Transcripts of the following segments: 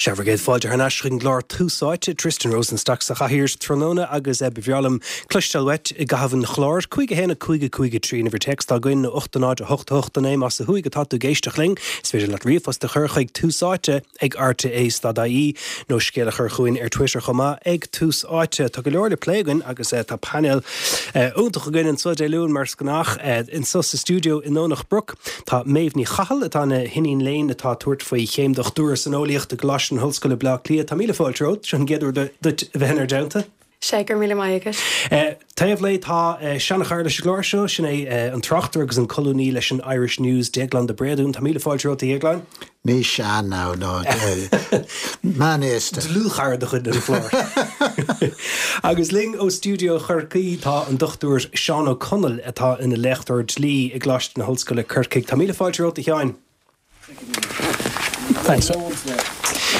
Sea, bhur gcéad fáilte thar n-ais chuig an gclár Tús Áite, Tristan Rosenstock sa chathaoir tráthnóna agus ba bhreá liom cloisteáil uait i gcaitheamh an chláir. 5 1 5 5 3 an uimhir téacs atá againn nó 8 0 8 8 9 más ó thuaidh atá tú ag éisteacht linn. Is féidir leat ríomhphost a chur chuig Tús Áite ag rte.ie nó scéal a chur chugainn ar Twitter chomh maith ag Tús Áite. Tá go leor le plé againn agus tá painéal iontach againn anseo Dé Luain mar is gnách anseo sa stiúideo i nDomhnach Broc. Tá Méabh Ní Chathail, atá ina hiníon léinn atá ag tabhairt faoi chéim dochtúra san eolaíocht i gColáiste na hOllscoile Bleá Cliath. Tá míle fáilte romhat. Seo an gcéad uair duit a bheith inár dteannta. Sea, go raibh míle maith agat. Taobh léi tá seanchara leis an gclár seo, sin é an tráchtaire agus an colúnaí leis an Irish News, Déaglán de Bréadún. Tá míle fáilte romhat, a Dhéagláin. Ní sean ná meánaosta. Dlúthchara de chuid an chláir. Agus linn ó stiúideo Chorcaí tá an Dr Seán Ó Conaill atá ina léachtóir dlí i gColáiste na hOllscoile Corcaigh. Tá míle fáilte romhat a Sheáin. Thanks.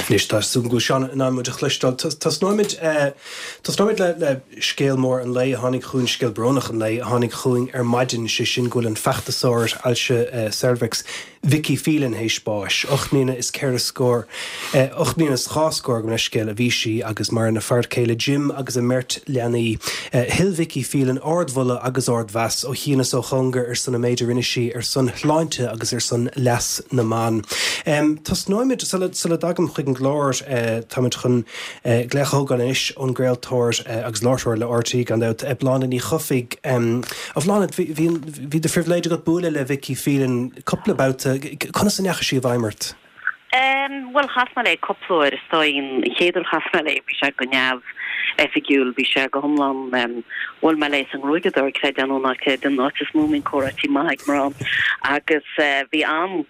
Anois tá súil agam go bhfuil Seán in ann muid a chloisteáil. Tosnóimid tosnóimid le le scéal mór an lae a tháinig chugainn, scéal brónach an lae a tháinig chugainn ar maidin, sé sin go bhfuil an feachtasóir ailse ceirbheacs Vicky Phelan théis báis. 8 mbliana is ceithre scór, 8 mbliana is dhá scór, gabh mo leithscéal, a bhí sí agus maireann a fear céile Jim agus a mbeirt leanaí. Thuill Vicky Phelan ardmholadh agus ardmheas ó chian is ó chóngar ar son an méid a rinne sí ar son shláinte agus ar son leas na mban. Tosnóimid, sula dtagaim chuig an gclár, táimid chun glaoch a thógáil anois ón gcraoltóir agus láithreoir le RTÉ gan dabht, Bláthnaid Ní Chofaigh. A Bhláthnaid, bhí de phribhléid agat bualadh le Vicky Phelan cúpla babhta. Conas a ndeachaigh sí i bhfeidhm ort? Bhuel, chas mé léi cúpla uair, is dóigh. An chéad uair a chas mé léi, bhí sé go neamhoifigiúil, bhí sé go hiomlán, bhuail mé léi sa ngruaigeadóir, creid é nó ná creid, an áit is mó a mbíonn comhráití maithe ag mná. Agus bhí an,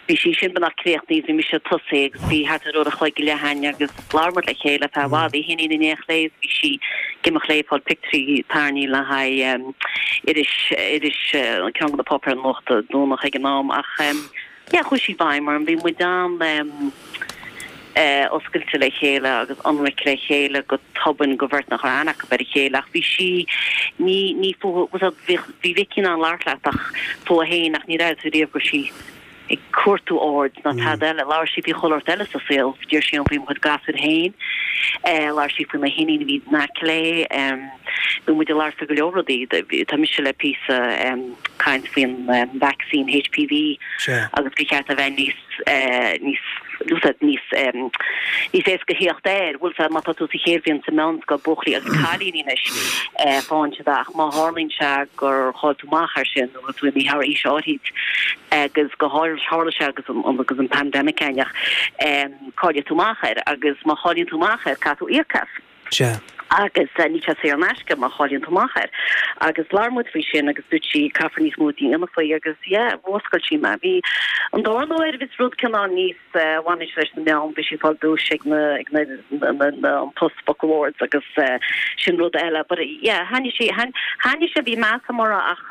bhí sí sin beagnach críochnaithe, bhí mise ag tosaí agus bhí thart ar uair a chloig go leith againn agus labhair muid le chéile ar feadh i bhfad, í féin in éineacht léi is bhí sí ag imeacht léi ag fáil pictiúirí tarraingthe le haghaidh iris, iris, ceann de na páipéir nuachta Domhnach ag an am ach yeah chuaigh sí i bhfeidhm orm, bhí muid an oscailte le chéile agus ionraic le chéile go tobann do bheirt nach raibh aithne acu ar a chéile ach bhí sí, ní, ní fúithi, bhí Vicky in ann labhairt leat ach fúithi féin ach níor airigh tú riamh go raibh sí ag cuartú aird ná tada eile. Labhair sí faoi chuile shórt eile sa saol. D'iarr sí orm faoi mo chuid gasúir féin. Labhair sí faoina hiníon a bhí in aice léi. Bhí muid ag labhairt faoi go leor rudaí. Tá mise le píosa caint faoin vacsaín HPV agus gur cheart a bheith níos níos níos níos éasca theacht air. Bhfuil fhios agat má tá tú sa chéad bhliain sa meánscoil, buachaillí agus cailíní anois, faigheann siad é ach má tharlaíonn sé gur chaill tú amach air sin, nó tú imithe thar aois áirid agus go háirithe tharla sé agus an agus an pandemic againn ach caillfidh tú amach air agus má chailleann tú amach air caithfidh tú íoc as. Sea. Agus níl sé saor in aisce má chailleann tú amach air. Agus labhair muid faoi sin agus dúirt sí caithfear níos mó a dhéanamh faoi agus yeah mhúscail sí mé. Bhí an darna huair bhí rud cineál níos bhain sé leis na meáin, bhí sí ag fáil duais ag na ag na na na an Post Book Awards agus sin rud eile. But yeah thaitnigh sí thaitnigh sé bhí meas agam uirthi ach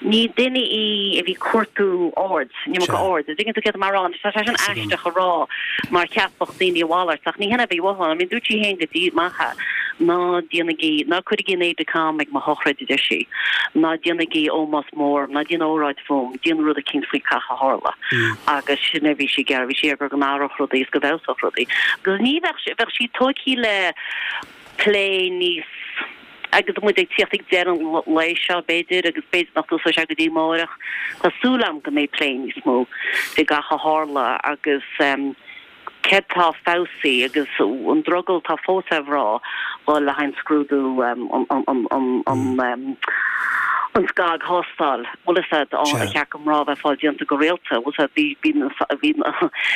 ní duine í a bhí ag cuartú aird, an iomarca aird. An dtuigeann tú céard atá mé a rá? Tá sé sin aisteach a rá mar cheapfadh daoine a mhalairt ach ní hin a bhí uaithi. I mean dúirt sí féin go díreach amach é, ná déanaigí, ná cuirigí an aide-de-camp ag mo shochraid, a deir sí, ná déanaigí ómós mór, ná déan óráid fúm, déan rud eicínt faoi gach a tharla. Agus sin a bhí sí ag iarraidh, bhí sí ag iarraidh go n-athródh rudaí is go bhfeabhsódh rudaí. Agus ní bheadh, bheadh sí tógtha le plé níos, agus muid ag tíocht ag deireadh an lae seo, b'fhéidir, agus b'fhéidir nach dtosóidh sé go dtí amáireach, tá súil agam go mbeidh plé níos mó fé gach a tharla agus céard tá feabhsaithe agus an drogall atá fós ar mhná dhul le haghaidh an scrúdú an an scagthástáil. Bhfuil fhios agat ar cheart do mhná bheith ag fáil déanta go rialta. Bhfuil fhios agat bhí bhí bhí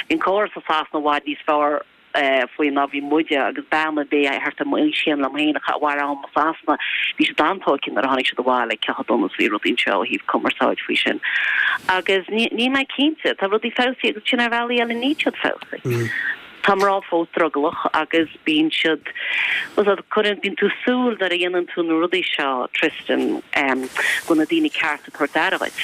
an córas i Sasana i bhfad níos fearr faoi ná bhí muide agus bean ar bith thart ar m'aois féin liom féin a mhair am i Sasana, bhí siad an-tógtha nuair a tháinig siad abhaile cé chomh dona is a bhí rudaí anseo ó thaobh cumarsáid faoi sin. Agus níl mé cinnte, tá rudaí feabhsaithe agus sin ar bhealaí eile níl siad feabhsaithe. Tá mná fós drogallach agus bíonn siad, bhfuil fhios agat, cuireann, bíonn tú súil nuair a dhéanann tú na rudaí seo, Tristan, go bhfuil na daoine cearta ag tabhairt aire dhuit.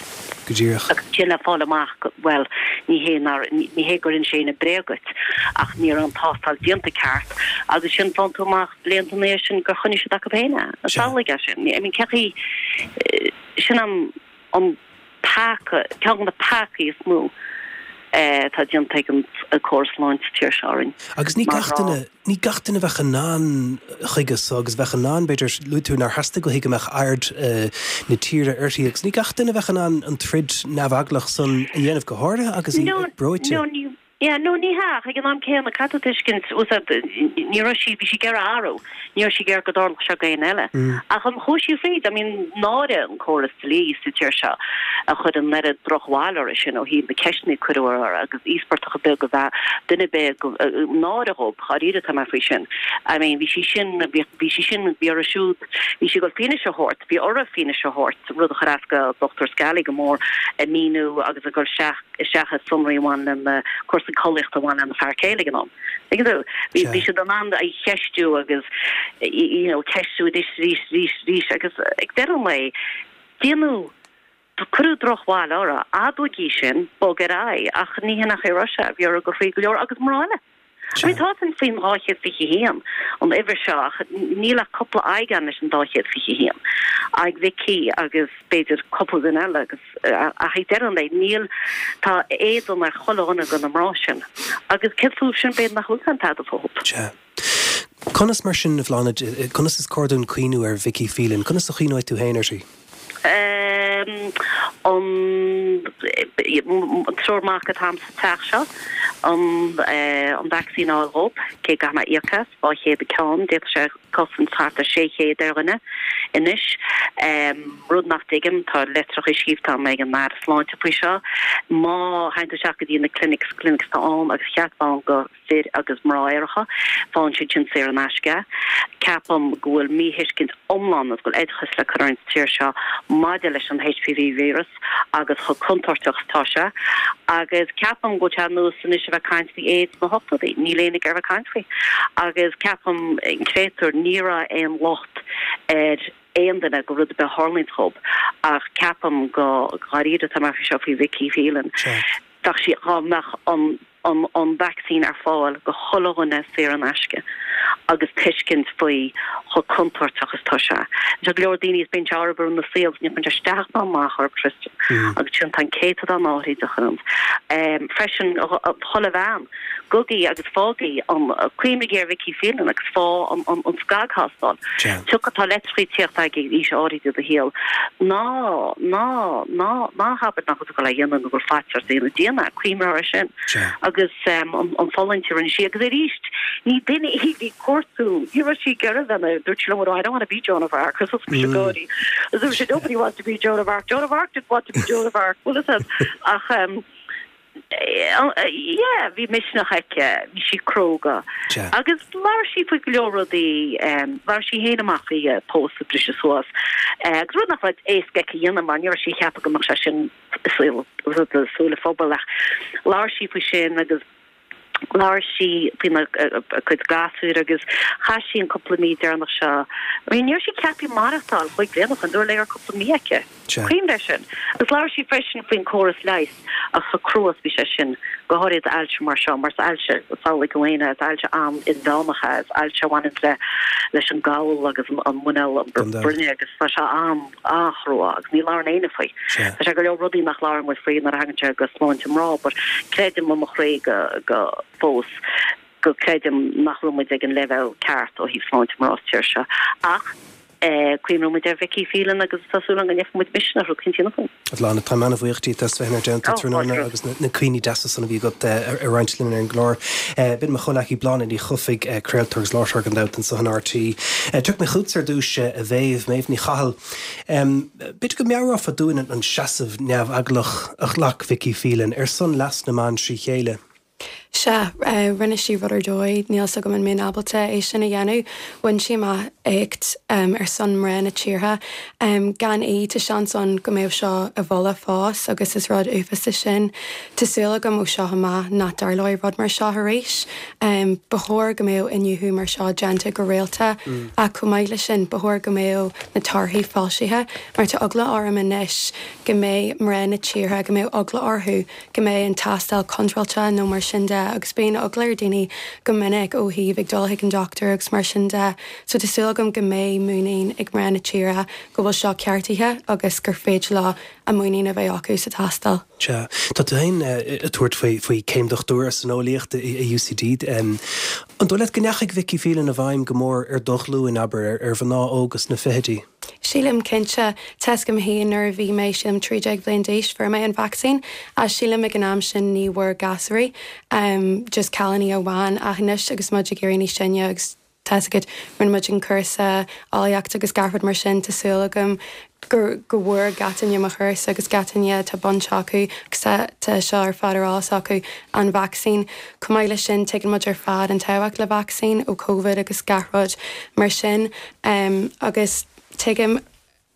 Go díreach. Agus ansin le fáil amach go, bhuel, ní hé nár, ní hé gur inis éinne bréag dhuit, ach ní raibh an tástáil déanta ceart, agus ansin faigheann tú amach blianta ina dhiaidh sin gur choinnigh siad acu féin é. Samhlaigh é sin. I mean, cé chaoi, sin an, an peaca, ceann de na peacaí is mó. Atá déanta ag an córas sláinte sa tír seo orainn. Agus ní gach duine, ní gach duine a bheadh in ann chuige so agus bheadh in ann, b'fhéidir, luaigh tú nár theastaigh uaithi go mbeadh aird na tíre uirthi agus ní gach duine a bheadh in ann an troid neamheaglach san a dhéanamh, go háirithe agus í breoite. No, ní, yeah, no, ní hea, ach ag an am céanna, caithfidh tú tuiscint, ní raibh sí, bhí sí ag iarraidh athrú. Ní raibh sí ag iarraidh go dtarlódh seo go éinne eile. Ach an chuaigh sí fríd? I mean, náire an córas dlí sa tír seo a chuir an oiread drochbhail uirthi sin ó thaobh na ceisteanna a cuireadh uirthi agus íospartach ar bith go bhfeadh duine ar bith go náire dhób, dháiríre atá mé faoi sin. I mean, bhí sí sin, bhí, bhí sí sin, bhí uirthi siúd, bhí sí ag dul fianaise a thabhairt, bhí uirthi fianaise a thabhairt, rud a chuir as go Dr Scally go mór, ag míniú agus ag dul isteach, isteach i sonraí a bhain lena cúrsaí collaíochta a bhain lena fear céile ag an am. Tuigeann tú? Bhí bhí siad in ann í a cheistiú agus you know ceistiú arís arís arís arís agus ag deireadh an lae déanadh cuireadh drochbhail uirthi, admhaigí sin, bog ar aghaidh ach ní hin an chaoi a raibh sé, bhí uirthi dul thríd go leor agus mná eile. I mean tá sin faoin 221 an uimhir seo ach níl ach cúpla aghaidh ann leis an 221. Aghaidh Vicky agus b'fhéidir cúpla duine eile agus Ach ag deireadh an lae, níl, tá éadan ar chuile dhuine de na mná sin. Agus céard fúthu sin, b'fhéidir nach bhfuil aon tada fúthu. Sea. Conas mar sin, a Bhláthnaid, conas is cóir dúinn cuimhniú ar Vicky Phelan? Conas a chuimhneoidh tú féin uirthi? An triúr mac atá a'm sa teach seo, an vacsaín a fháil dhób, cé go gcaithfidh mé íoc as, 200 an ceann, d'fhéadfadh sé cosaint thart ar 600 ar dhuine anois. Rud nach dtuigim, tá litreacha scríofa agam ag an Aire Sláinte faoi seo. Má théann tú isteach go dtí na clinics, clinics atá ann agus cheart bheith ann go fir agus mná aeracha, faigheann siad sin saor in aisce. Ceapaim go bhfuil míthuiscint iomlán agus go bhfuil oideachas le cur orainn sa tír seo maidir leis an HPV víreas agus chomh contúirteach is atá sé. Agus ceapaim go bhfuil sé ar nós anois a bheith ag caint faoi AIDS sna hochtóidí, níl éinne ag iarraidh a bheith ag caint faoi. Agus ceapaim, an créatúr, ní raibh aon locht ar aon duine go rud ar bith a tharlaíonn dhób ach ceapaim go dháiríre atá mé faoi seo faoi Vicky Phelan. Bheadh sí, dhá mbeadh an an an vacsaín ar fáil go chuile dhuine saor in aisce agus tuiscint faoi chomh contúirteach is atá sé. Tá go leor daoine is bíonn sé orthu ina saol ní chuireann sé isteach ná amach orthu Tristan agus sin tá an céatadán áirithe de chuireann. Freisin chuile bhean. Gabhaigí agus faighigí an, cuimhnigí ar Vicky Phelan agus faigh an, an, an scagthástáil. Tiocfaidh, tá litreacha ag tíocht ag aois áirithe de do shaol. Ná, ná, ná, ná habair nach bhfuil tú ag dul é a dhéanamh nó go bhfuil faitíos ort é a dhéanamh. Déan é, cuimhnigh orthu sin. Agus an, an fulaingt a rinne sí. Agus arís, ní duine í a bhí ag cuartú, ní raibh sí ag iarraidh bheith ina, dúirt sí liom, I don't want to be Joan of Arc. Agus thosaigh mise ag gáirí. Agus dúirt sí, nobody wants to be Joan of Arc. Joan of Arc didn't want to be Joan of Arc. Bhfuil fhios agat? Ach, Yeah, bhí misneach aici, bhí sí cróga. Agus labhair sí faoi go leor rudaí, labhair sí féin amach faoi a pósadh a briseadh suas. Agus rud nach raibh éasca aici a dhéanamh mar ní raibh sí ag ceapadh go mbeadh sé sin i súile an phobail ach labhair sí faoi sin agus labhair sí faoina cuid gasúir agus chaith sí an cúpla mí deireanach seo, I mean ní raibh sí ceaptha maireachtáil chúig bliana ó shin, dúradh léi go raibh cúpla mí aici. Cuimhnigh air sin. Agus labhair sí freisin faoin córas leighis agus chomh crua is bhí sé sin, go háirithe d'ailse mar seo, mar is ailse, samhlaigh tú féin é, is ailse an-inmheánach é, is ailse a bhaineann le leis an gcabhail agus an muineál, an broinne agus tá sé an-chrua agus ní labhrann éinne faoi. Tá sé go leor rudaí nach labhrann muid faoi nuair a thagann sé go sláinte mná but creidim i mo chroí go go fós go creidim nach bhfuil muid ag an leibhéal ceart ó thaobh sláinte mná sa tír seo ach Cuimhneoidh muid ar Vicky Phelan agus tá súil agam go ngeobhaidh muid misneach rud éicint a dhéanamh faoi. A Bhláthnaid, táim ana-bhuíoch díot as bheith inár dteannta tráthnóna agus na cuimhní deasa san a bhí agat a roinnt linn ar an gclár. B'in mo chomhleacaí Bláthnaid Ní Chofaigh, craoltóir agus láithreoir gan dabht anso in RTÉ. Tiocfaidh mé chugatsa ar dtús, a Mhéabh, Méabh Ní Chathail. B'fhéidir go meabhrófá dúinn an seasamh neamheaglach a ghlac Vicky Phelan ar son leas na mban trí chéile. Sea, rinne sí rud ar dóigh, níl 's agam an mbeinn ábalta é sin a dhéanamh. Bhain sí amach éacht ar son mná na tíre. Gan í, tá seans ann go mbeadh seo i bhfolach fós agus is rud uafásach sin. Tá súil agam ó seo amach nach dtarlóidh rud mar seo arís. Ba chóir go mbeadh iniúchadh mar seo déanta go rialta ach chomh maith leis sin, ba chóir go mbeadh na torthaí foilsithe mar tá eagla orm anois go mbeidh mná na tíre, go mbeadh eagla orthu go mbeidh an tástáil contráilte nó mar sin de agus bíonn eagla ar daoine go minic ó thaobh ag dul chuig an dochtúir agus mar sin de so tá súil agam. agam go mbeidh muinín ag mná na tíre go bhfuil seo ceartaithe agus gur féidir leo a muinín a bheith acu sa tástáil. Sea. Tá tú féin ag tabhairt faoi céim dochtúra san eolaíocht i UCD. An dóigh leat go ndeachaigh Vicky Phelan i bhfeidhm go mór ar do ghlúin, abair, ar mhná óga sna fichidí? Sílim, cinnte. Tá's agam féin nuair a bhí mé, sílim, 13 bhliain d'aois, fuair mé an vacsaín. Ach sílim ag an am sin ní bhfuair gasúraí, just cailíní amháin. Ach anois agus muid ag éirí níos sine agus tá's agat, rinne muid an cúrsa eolaíocht agus gach rud mar sin, tá súil agam go go bhfuair gach duine mo chúrsa agus gach duine atá baint acu agus tá tá seo ar fad ar eolas acu, an vacsaín. Chomh maith leis sin, tuigeann muid ar fad an tábhacht le vacsaín ó Covid agus gach rud mar sin. Agus tuigim,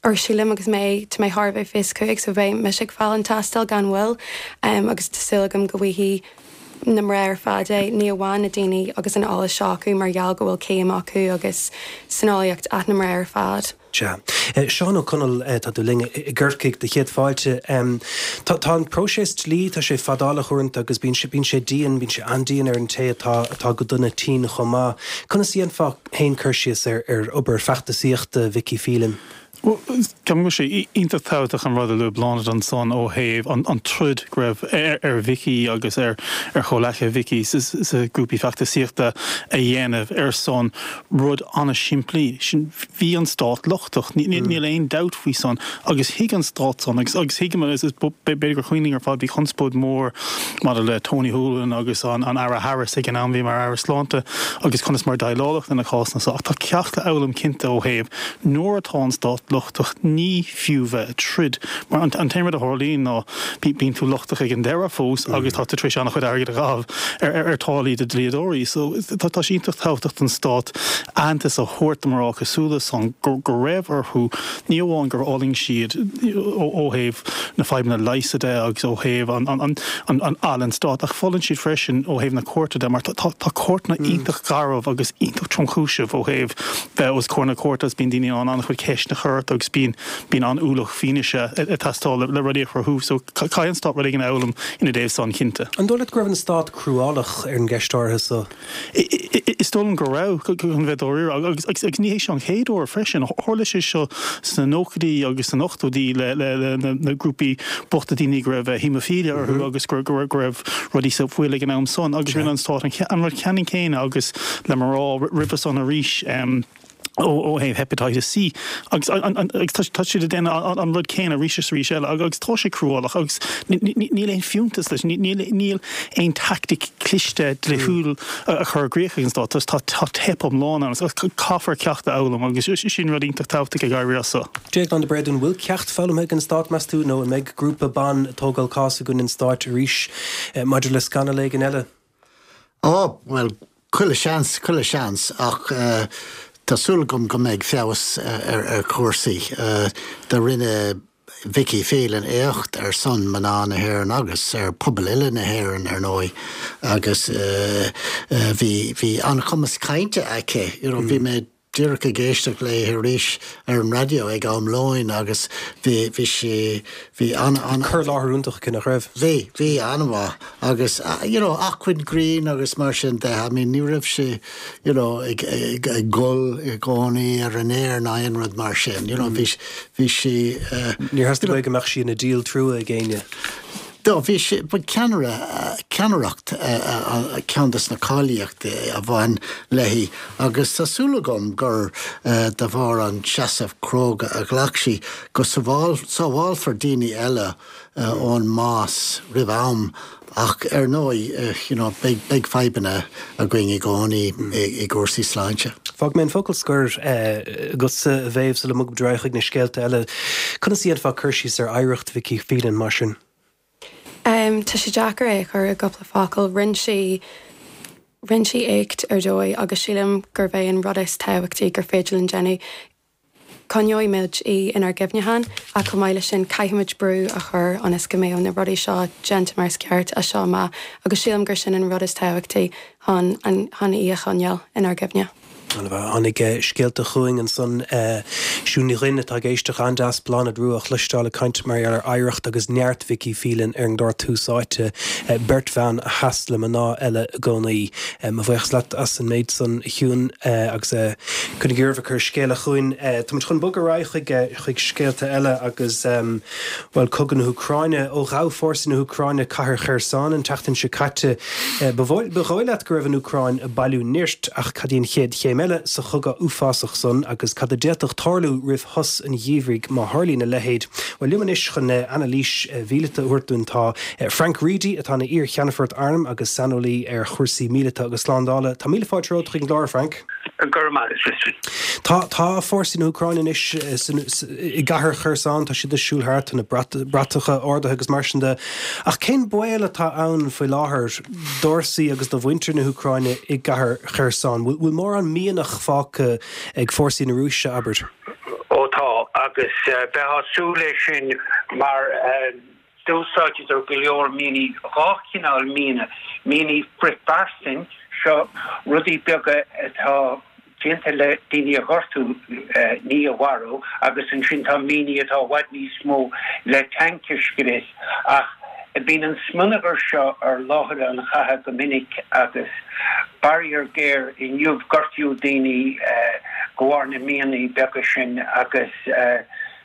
or sílim agus mé, tá mé thar a bheith 25 so beidh mise ag fáil an tástáil gan mhoill agus tá súil agam go bhfaighidh na mná ar fad é, ní amháin na daoine agus an eolas seo acu mar gheall go bhfuil céim acu agus san eolaíocht ach na mná ar fad. Sea. Seán Ó Conaill, tá tú linn i gCorcaigh, do chéad fáilte. Tá, tá an próiseas dlí, tá sé fadálach uaireanta agus bíonn sé, bíonn sé dian, bíonn sé an-dian ar an té atá, atá go dona tinn chomh maith. Conas a dhéanfá féin cur síos ar, ar obair feachtasaíochta Vicky Phelan? Bhuel, ceapaim go bhfuil sé iontach tábhachtach an rud a luaigh Bláthnaid ansan ó thaobh an, an troid go raibh ar, ar Vicky agus ar, ar chomhleacaithe Vicky sa, sa ghrúpaí feachtasaíochta a dhéanamh ar son rud an-simplí, sin, bhí an stát lochtach, níl aon dabht faoi san, agus thuig an stát san, agus agus thuigim, is b'fhéidir gur cuimhin linn ar fad, bhí conspóid mhór maidir le Tony Holohan agus an an Aire Harris ag an am, bhí mar Aire Sláinte, agus conas mar déileáladh lena cásanna so, ach tá ceacht le fhoghlaim cinnte ó thaobh nuair atá an stát lochtach, ní fiú bheith ag troid, mar an t-aon rud a tharlaíonn ná bíonn tú lochtach ag an deireadh fós agus tá tú tar éis an-chuid airgid a chaitheamh ar táillí do dhlíodóirí. So tá sé iontach tábhachtach don stát aitheantas a thabhairt do mná cosúil leis san go raibh orthu, ní amháin gur fhulaing siad ó thaobh na fadhbanna leighis de agus ó thaobh an an stát ach fulaing siad freisin ó thaobh na cúirte de mar tá cúirteanna iontach garbh agus iontach tromchúiseach ó thaobh bheith os comhair na cúirte agus bíonn daoine in ann an-chuid ceisteanna a chur ort agus bíonn bíonn an-ualach fianaise ag teastáil le rudaí a chruthú. So caithfidh an stát rud éigin a fhoghlaim ina dtaobh san, cinnte. An dóigh leat go raibh an stát cruálach ar an gceist áirithe so? Is dóigh liom go raibh, chun bheith dáiríre, agus agus ní hé seo an chéad uair freisin. Tharla sé seo sna nóchaidí agus sna hochtóidí le le na grúpaí bochta daoine go raibh haemophilia orthu agus go raibh rudaí sa bhfuil ag an am san agus rinne an stát an rud ceannann céanna agus le mná roimhe san arís ó thaobh hepatitis C agus tá siad ag déanamh an rud céanna arís is arís eile agus tá sé cruálach agus níl aon fiúntas leis, níl aon tactic cliste dlíthiúil a chur i gcrích ag an stát, tá teip iomlán ann agus caithfear ceacht a fhoghlaim agus sin rud iontach tábhachtach ag éirí as seo. Déaglán de Bréadún, bhfuil ceacht foghlamtha ag an stát, meas tú, nó an mbeidh grúpa ban ag tógáil cás i gcoinne an stáit arís maidir le scannal éigin eile? Á, bhuel, chuile sheans, chuile sheans, ach tá súil agam go mbeidh feabhas ar chúrsaí. Do rinne Vicky Phelan éacht ar son mná na hÉireann agus ar pobal uile na hÉireann, ar ndóigh, agus bhí, bhí an-chumas cainte aici, you know, bhí mé díreach ag éisteacht léi arís ar an raidió ag am lóin agus bhí, bhí sí, bhí an, an. Cur i láthair iontach aici, nach raibh? Bhí, bhí, an-mhaith agus you know acmhainn grinn agus mar sin de, I mean ní raibh sí you know ag, ag, ag gol i gcónaí ar an aer ná aon rud mar sin, you know bhí, bhí sí eh. Níor theastaigh uaidh go mbeadh sí ina díol trua ag éinne. Do bhí sí, ba ceannaire, ceannaireacht ceann de na cáilíochtaí a bhain léi agus tá súil agam gur de bharr an seasamh cróga a ghlac sí go sábhálfar daoine eile ón mbás roimh am ach ar ndóigh you know beidh, beidh fadhbanna againn i gcónaí i gcúrsaí sláinte. Fágfaidh mé an focal scoir agatsa a Mhéabh sula mbogfaimid ar aghaidh chuig na scéalta eile. Conas a dhéanfá cur síos ar oidhreacht Vicky Phelan mar sin? Tá sé deacair é a chur i gcúpla focal. Rinne sí, rinne sí éacht ar dóigh agus sílim gurb é an rud is tábhachtaí gur féidir linn déanamh, coinneoidh muid í inár gcuimhneacháin ach chomh maith leis sin caithfimid brú a chur ionas go mbeadh na rudaí seo déanta mar is ceart as seo amach agus sílim gur sin an rud is tábhachtaí chun an, chun í a choinneáil inár gcuimhne. Tháinig scéalta chugainn ansan, Siún Ní Dhuinn atá ag éisteacht, an-deas Bláthnaid Rua a chloisteáil ag caint mar gheall ar oidhreacht agus neart Vicky Phelan ar an gclár Tús Áite, beirt bhan a sheas le mná eile i gcónaí. Mo bhuíochas leat as an méid san, a Shiún, agus coinnigí oraibh ag cur scéala chugainn. Táimid chun bogadh ar aghaidh chuig chuig scéalta eile agus, bhuel, cogadh na hÚcráine. Ó ghabh fórsaí na hÚcráine cathair Kherson an tseachtain seo caite, Ba dhóigh leat go raibh an Úcráin ag bailiú nirt, ach cad í an chéad chéim eile sa chogadh uafásach san agus cad a d'fhéadfadh tarlú roimh shos an gheimhridh má tharlaíonn a leithéid? Bhuel, liom anois chun anailís mhíleata a thabhairt dúinn tá Frank Reidy, atá ina iar-cheannfort airm agus saineolaí ar chúrsaí míleata agus slándála. Tá míle fáilte romhat chuig an gclár, a Frank. Go raibh maith agat, Risteard. Tá, tá fórsaí na hÚcráine anois i gcathair Kherson, tá siad ag siúl thart, tá na bratacha ardaithe agus mar sin de. Ach cén baol atá ann faoi láthair d'fhórsaí agus do mhuintir na hÚcráine i gcathair Kherson? Bhfuil mórán mianach fágtha ag fórsaí na Rúise, abair? Ó tá, agus bheifeá ag súil leis sin mar d'úsáideadar go leor mianaí, 2 chineál miana, mianaí frithphearsan, seo rudaí beaga atá déanta le daoine a ghortú, ní a mharú, agus ansin tá mianaí atá i bhfad níos mó le tanc a scrios. Ach bíonn an smionagar seo ar láthair an chatha go minic agus faraor géar inniu gortaíodh daoine de bharr na mianaí beaga sin agus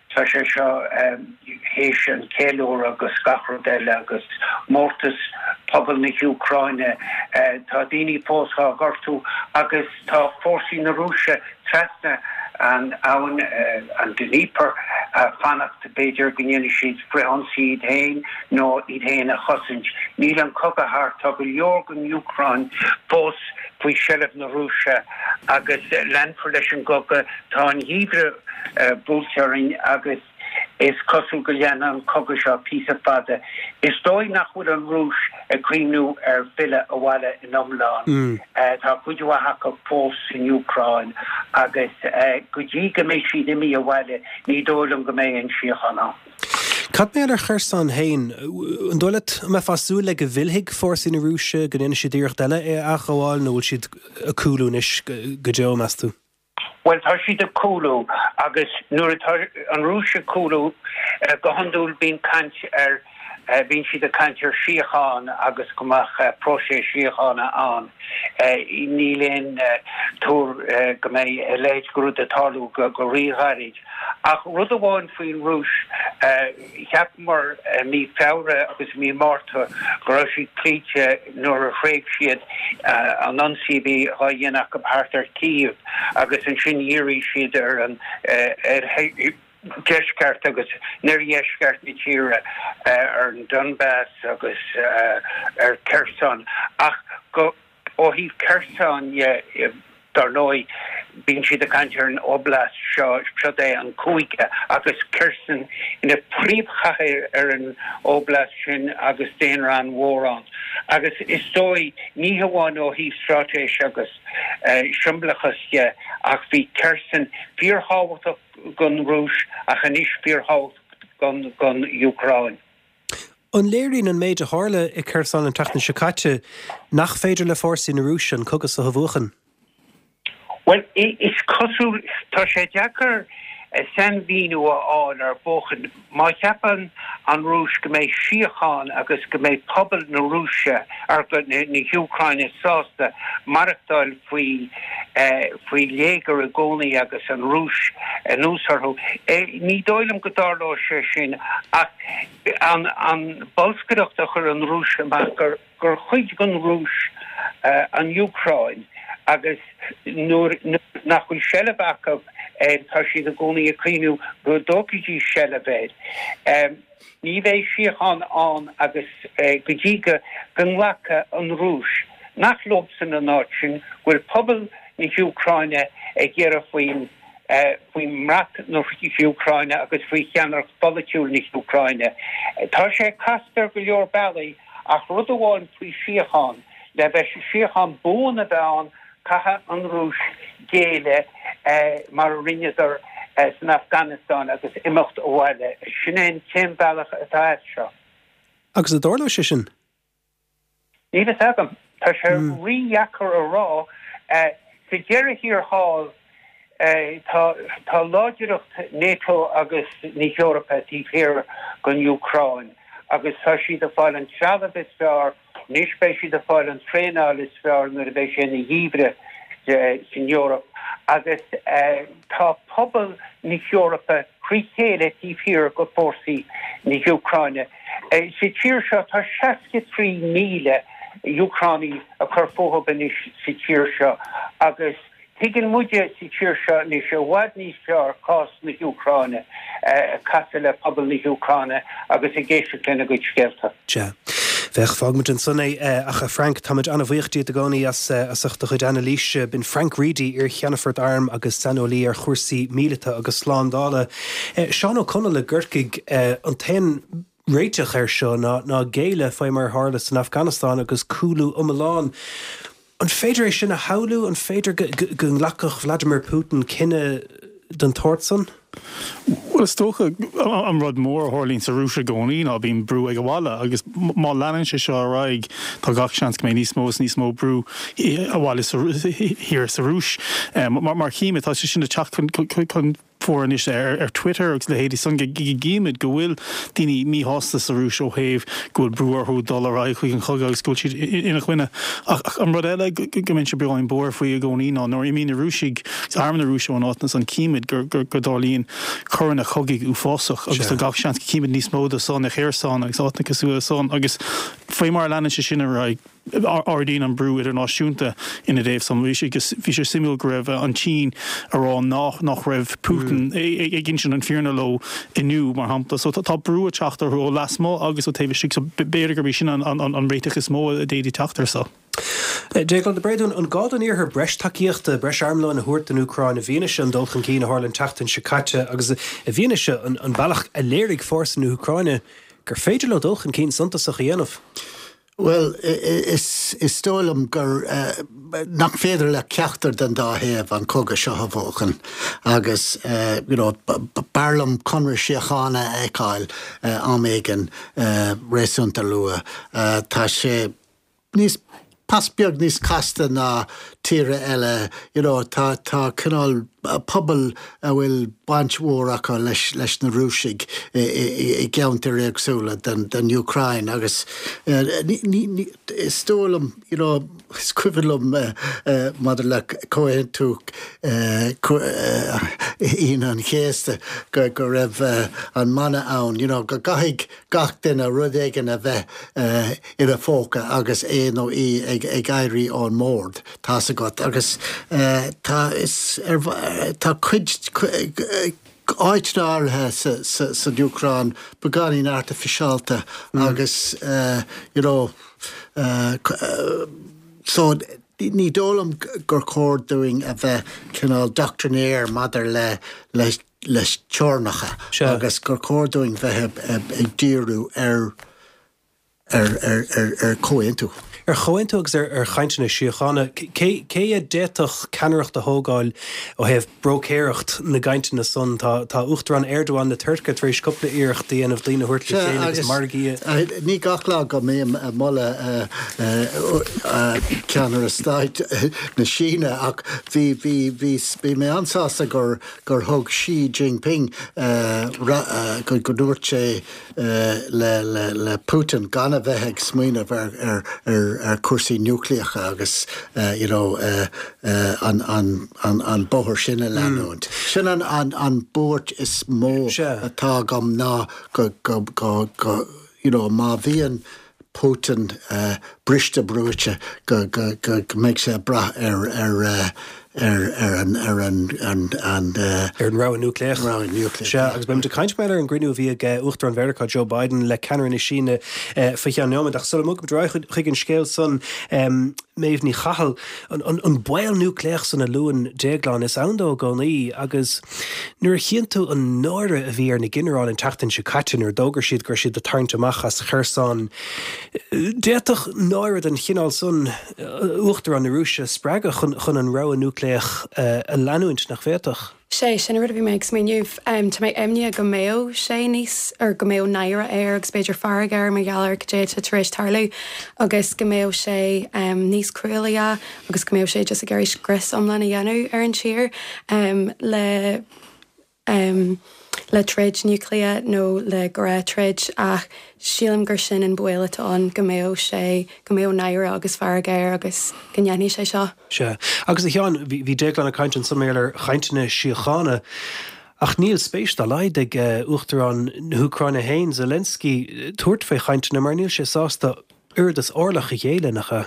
tá sé seo théis an ceiliúradh agus gach rud eile agus mórtas pobal na hÚcráine, tá daoine fós á gortú agus tá fórsaí na Rúise trasna an abhainn, an Dnieper, fanacht b'fhéidir go ndéanfaidh siad frithionsaí iad féin nó iad féin a chosaint. Níl an cogadh thart, tá go leor den Úcráin fós faoi sheilbh na Rúise agus leanfar leis an gcogadh. Tá an geimhreadh buailte orainn agus. Is cosúil go leanfaidh an cogadh seo píosa fada. Is dóigh nach bhfuil an Rúis ag cuimhniú ar filleadh abhaile in iomlán. Tá cuid mhaith acu fós san Úcráin agus go dtí go mbeidh siad imithe abhaile ní dóigh liom go mbeidh aon síocháin ann. Cad mar gheall ar Kherson féin? An dóigh leat, an mbeifeá ag súil le go bhfillfidh fórsaí na Rúise, go ndéanfaidh siad iarracht eile é a athghabháil nó bhfuil siad ag cúlú anois go deo, meas tú? Bhuel, tá siad ag cúlú agus nuair atá an Rúis ag cúlú, go hiondúil bíonn caint ar, bíonn siad ag caint ar síocháin agus go mbeadh próiseas síochána ann. Níl aon tuar go mbeidh a leithéid de rud ag tarlú go ríghairid. Ach rud amháin faoin Rúis, Cheapamar i mí Feabhra agus i mí Márta go raibh siad cloíte nuair a thréig siad an ionsaí a bhí dhá dhéanamh acu thart ar Kyiv agus ansin dhírigh siad ar an oirdheisceart agus an oirdheisceart na tíre, ar an Donbas agus ar Kherson. Ach go. Ó thaobh Kherson dhe, dar ndóigh, bíonn siad ag caint ar an oblast seo, siod é an cúige, agus Kherson ina phríomhchathair ar an oblast sin agus daonra an-mhór ann. Agus is dóigh, ní hamháin ó thaobh straitéis agus siombalachas dhe, ach bhí Kherson fíorthábhachtach don Rúis ach anois fíorthábhachtach don Úcráin. An léiríonn an méid a tharla i Kherson an tseachtain seo caite nach féidir le fórsaí na Rúise an cogadh seo a bhuachan? Bhuel, is cosúil, tá sé deacair sainmhíniú a fháil ar bhuachan. Má cheapann an Rúis go mbeidh síocháin agus go mbeidh pobal na Rúise, ar na hÚcráine sásta maireachtáil faoi faoi léigear i gcónaí agus an Rúis anuas orthu, ní dóigh liom go dtarlóidh sé sin ach an bolscaireacht a chuir an Rúis amach gur gur chuid den Rúis an Úcráin agus nuair nach bhfuil seilbh acu air tá siad i gcónaí ag cuimhniú go dtógfaidís seilbh air. Ní bheidh síocháin ann agus go dtí go nglacfaidh an Rúis nach leobsan an áit sin, go bhfuil pobal na hÚcráine ag iarraidh faoin faoi bhrat na hÚcráine agus faoi cheannaireacht pholaitiúil na hÚcráine. Tá sé casta ar go leor bealaí ach rud amháin faoi síocháin, le bheith síocháin buan a bheith ann caithfidh an Rúis géilleadh mar a rinneadar san Afganastáin agus imeacht abhaile. Sin é an t-aon bhealach atá as seo. Agus an dtarlóidh sé sin? Níl fhios agam. Tá sé rídheacair a rá. Sa deireadh thiar thall, tá láidreacht NATO agus na hEorpa taobh thiar den Úcráin agus tá siad ag fáil an trealamh is fearr, anois beidh siad ag fáil an traenáil is fearr nuair a bheidh sé ina gheimhreadh san Eoraip agus tá pobal na hEorpa thrí chéile taobh thiar de fórsaí na hÚcráine. Sa tír seo tá 63,000 Úcránaigh ag cur fúthu anois sa tír seo agus tuigeann muide sa tír seo anois i bhfad níos fearr cás na hÚcráine, ag casadh le pobal na hÚcráine agus ag éisteacht lena gcuid scéalta. Sea. Bhuel, fágfaimid ansan é. Ach a Frank, táimid an-bhuíoch díot i gcónaí as ucht do chuid anailíse. B'in Frank Reidy, iar-Cheannfort Airm agus saineolaí ar chúrsaí míleata agus slándála. Seán Ó Conaill i gCorcaigh, an t-aon réiteach air seo ná ná géilleadh faoi mar a tharla san Afganastáin agus cúlú iomlán. An féidir é sin a shamhlú? An féidir go nglacfadh Vladimir Putin cinneadh den tsórt san? Bhuel, is dócha, an rud mór a tharlaíonn sa Rúis i gcónaí ná bíonn brú ag an bhaile agus má leanann sé seo ar aghaidh tá gach seans go mbeidh níos mó is níos mó brú abhaile thiar sa Rúis. Mar chímid, tá sé sin ag teacht chun fóir anois ar Twitter agus leithéidí san go gcímid go bhfuil daoine míshásta sa Rúis ó thaobh go bhfuil brú orthu dul ar aghaidh chuig an chogadh agus go bhfuil siad ina choinne. Ach an rud eile go mbeinnse beagáinín buartha faoi i gcónaí ná nuair a imíonn na Rúisigh agus arm na Rúise ón áit ansan címid go dtarlaíonn coireanna cogaidh uafásach agus tá gach seans go gcímid níos mó de san i Kherson agus áiteanna cosúil le san agus faoi mar a leanann sé sin ar aghaidh ardaíonn an brú idirnáisiúnta ina dtaobh san. Bhí sé bhí sé suimiúil go raibh an tSín ag rá nach nach raibh Putin ag insint an fírinne leo inniu, mar shampla. So tá brú ag teacht orthu ó lasmuigh agus ó taobh istigh. So b'fhéidir gurb é sin an an réiteach is mó a d'fhéadfaí teacht air so. Déaglán de Bréadún, an gá don Iarthar breis tacaíochta, breis armlóin a thabhairt don Úcráin i bhfianaise an dul chun cinn a tharla an tseachtain seo caite agus i bhfianaise an bealach a léirigh fórsaí na hÚcráine gur féidir leo dul chun cinn suntasach a dhéanamh? Bhuel, is dóigh liom gur, nach féidir le ceachtar den dá thaobh an cogadh seo a bhuachan agus you know b'fhearr liom conradh síochána a fheiceáil am éigin réasúnta luath. Tá sé níos, pas beag níos casta ná tíortha eile, you know tá, tá cineál pobail a bhfuil baint mhór acu leis leis na Rúisigh i gceantair éagsúla den Úcráin agus is dóigh liom, you know, is cuimhin liom maidir le Comhaontú Aoine an Chéasta go go raibh an mana ann, you know, go gcaithfidh gach duine rud éigin a bheith ina phóca agus é nó í ag éirí ón mbord, tá's agat. Agus tá, is ar, tá cuid, áiteanna áirithe san Úcráin beagáinín artificialta agus you know, so ní dóigh liom gur chóir dúinn a bheith cineál doctrinaire maidir le, le le teorainneacha agus gur chóir dúinn bheith ag díriú ar ar chomhaontú. Ar chomhaontú agus ar chainteanna síochána. Cé a d'fhéadfadh ceannaireacht a thógáil ó thaobh bróicéireacht na gcainteanna san? Tá Uachtarán Erdogan na Tuirce tar éis cúpla iarracht a dhéanamh daoine a thabhairt le chéile agus margaí a. Ní gach lá go mbím ag moladh ceannaire stáit na Síne ach bhí bhí bhí mé an-sásta gur gur thug Xi Jinping, go ndúirt sé le Putin gan a bheith ag smaoineamh ar chúrsaí núicléacha agus you know an bóthar sin a leanúint. Sin an buairt is mó atá agam ná go you know má bhíonn Putin briste brúite go mbeidh sé ag brath ar ar ar an ar an an ar an rogha núicléach. Rogha núicléach. Sea, agus beimid ag caint mar ar an gcruinniú a bhí ag Uachtarán Mheiriceá Joe Biden le ceannaire na Síne faoi cheann nóiméad. Ach sula mbogfaimid ar aghaidh chuig an scéal san, Méabh Ní Chathail, an baol núicléach san a luann Déaglán, is ann dó i gcónaí agus nuair a chíonn tú an náire a bhí ar na ginearáil an tseachtain seo caite nuair a d'fhógair siad go raibh siad ag tarraingt amach as Kherson, d'fhéadfadh náire. náire den chineál san Uachtarán na Rúise a spreagadh chun an rogha núicléach a leanúint, nach bhféadfadh? Sé sin an rud a bhí mé ag smaoineamh. Tá mé imníoch go mbeadh sé níos, or go mbeadh náire air agus b'fhéidir fearg air mar gheall ar cad é atá tar éis tarlú agus go mbeadh sé níos cruálaí agus go mbeadh sé just ag iarraidh scrios iomlán a dhéanamh ar an tír le le troid núicléach nó le gnáth-troid ach sílim gur sin an baol atá ann, go mbeadh sé, go mbeadh náire agus fearg air agus go ndéanfaidh sé seo. Sea. Agus a Sheáin, bhí Déaglán ag caint ansan mar gheall ar chainteanna síochána ach níl spéis dá laghad ag Uachtarán na hÚcráine féin, Zelensky, tabhairt faoi chainteanna mar níl sé sásta oiread is orlach a ghéilleadh, nach ea?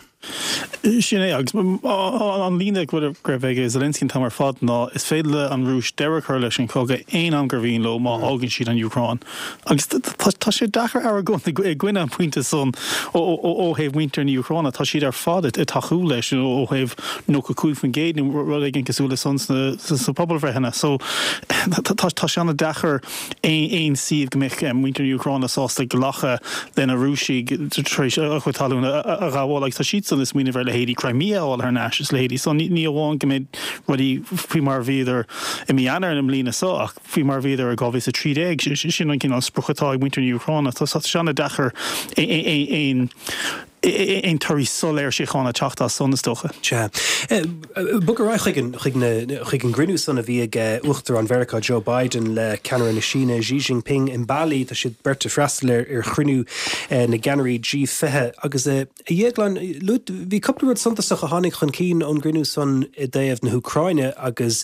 Sin é, agus an líne go raibh ag Zelensky an t-am ar fad ná is féidir le an Rúis deireadh a chur leis an chogadh aon am gur mhian leo má fhágann siad an Úcráin. Agus tá sé deacair argóint i gcoinne an phointe san ó thaobh muintir na hÚcráine. Tá siad ar fad ag tacú leis ó thaobh 95% nó rud éigin cosúil le san sna pobalbhreitheanna. So tá sé an-deacair aon suíomh go mbeadh muintir na hÚcráine sásta glacadh le na Rúisigh tar éis a chuid talún a ghabháil agus tá siadsan ag smaoineamh ar leithéidí Crimea a fháil thar n-ais is leithéidí so ní amháin go mbeidh rudaí faoi mar a bhíodar i mí Eanáir na mbliana seo ach faoi mar a bhíodar i 2013 sin an cineál sprioc atá ag muintir na hÚcráine. Tá sé an-deacair aon aon torthaí soiléir síochána teacht as san, is dócha. Sea. Bog ar aghaidh chuig an, chuig na, chuig an gcruinniú san a bhí ag Uachtarán Mheiriceá Joe Biden le ceannaire na Síne Xi Jinping in Bali. Tá siad beirt ag freastal ar, ar chruinniú na gceannairí G20 agus a Dhéagláin, luaigh, bhí cúpla rud suntasach a tháinig chun cinn ón gcruinniú san i dtaobh na hÚcráine agus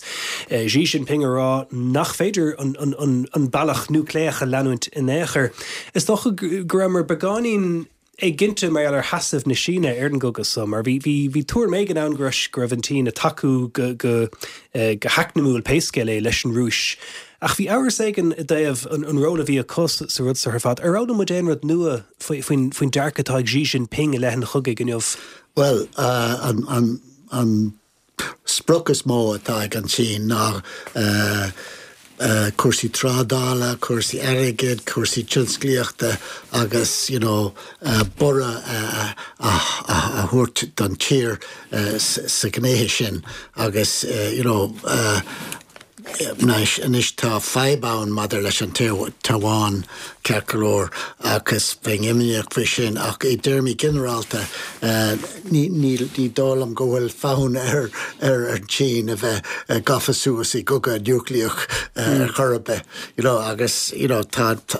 Xi Jinping ag rá nach féidir an, an, an, an bealach núicléach a leanúint in aon chor. Is dócha go rabhamar beagáinín éiginnte mar gheall ar sheasamh na Síne ar an gcogadh so, mar bhí, bhí, bhí tuairim éigin ann go raibh, go raibh an tSín ag tacú go, go, go heacnamúil pé scéal é leis an Rúis. Ach bhí amhras éigin i dtaobh an, an ról a bhí acu sa rud so ar fad. Ar fhoghlaim muid aon rud nua faoi, faoin, faoin dearcadh atá ag Xi Jinping i leith an chogaidh inniu? Bhuel, an, an, an sprioc is mó atá ag an tSín ná cúrsaí trádála, cúrsaí airgid, cúrsaí tionsclaíochta agus you know borradh a thabhairt don tír sa ghnéithe sin agus you know Anois, anois tá fadhb ann maidir leis an Téaváin, ceart go leor, agus bheinn imníoch faoi sin, ach i dtéarmaí ginearálta, ní, ní, ní dóigh liom go bhfuil fonn ar, ar an tSín a bheith gafa suas i gcogadh núicléach ar chor ar bith, you know, agus, you know, tá, tá,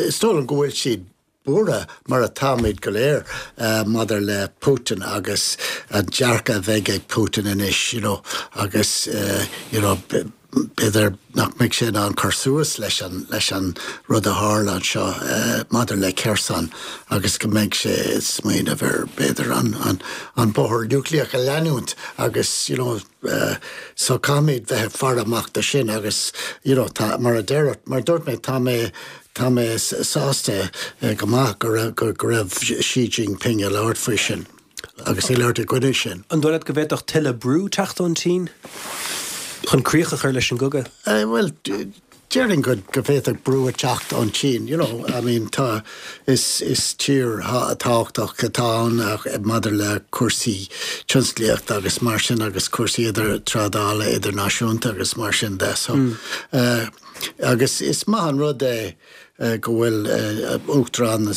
is dóigh liom go bhfuil siad buartha, mar atáimid go léir, maidir le Putin agus an dearcadh a bheidh ag Putin anois, you know, agus, you know, b'fhéidir nach mbeidh sé in ann cur suas leis an, leis an rud a tharla anseo maidir le Kherson agus go mbeidh sé ag smaoineamh ar, b'fhéidir, an, an, an bóthar núicléach a leanúint agus, you know, so caithfimid bheith ag faire amach do sin agus, you know, tá, mar a deir, mar a dúirt mé, tá mé, Tá mé sásta go maith go raibh go raibh Xi Jinping ag labhairt faoi sin agus ag labhairt i gcoinne sin. An dóigh leat go bhféadfadh tuilleadh brú teacht ón tSín chun críoch a chur leis an gcogadh? Bhuel, déarfainn go go bhféadfadh brú a teacht ón tSín. You know, I mean, tá, is is tír thábhachtach atá ann maidir le cúrsaí tionsclaíochta agus mar sin agus cúrsaí idir trádála idirnáisiúnta agus mar sin de. So, Agus is maith an rud é go bhfuil Uachtarán na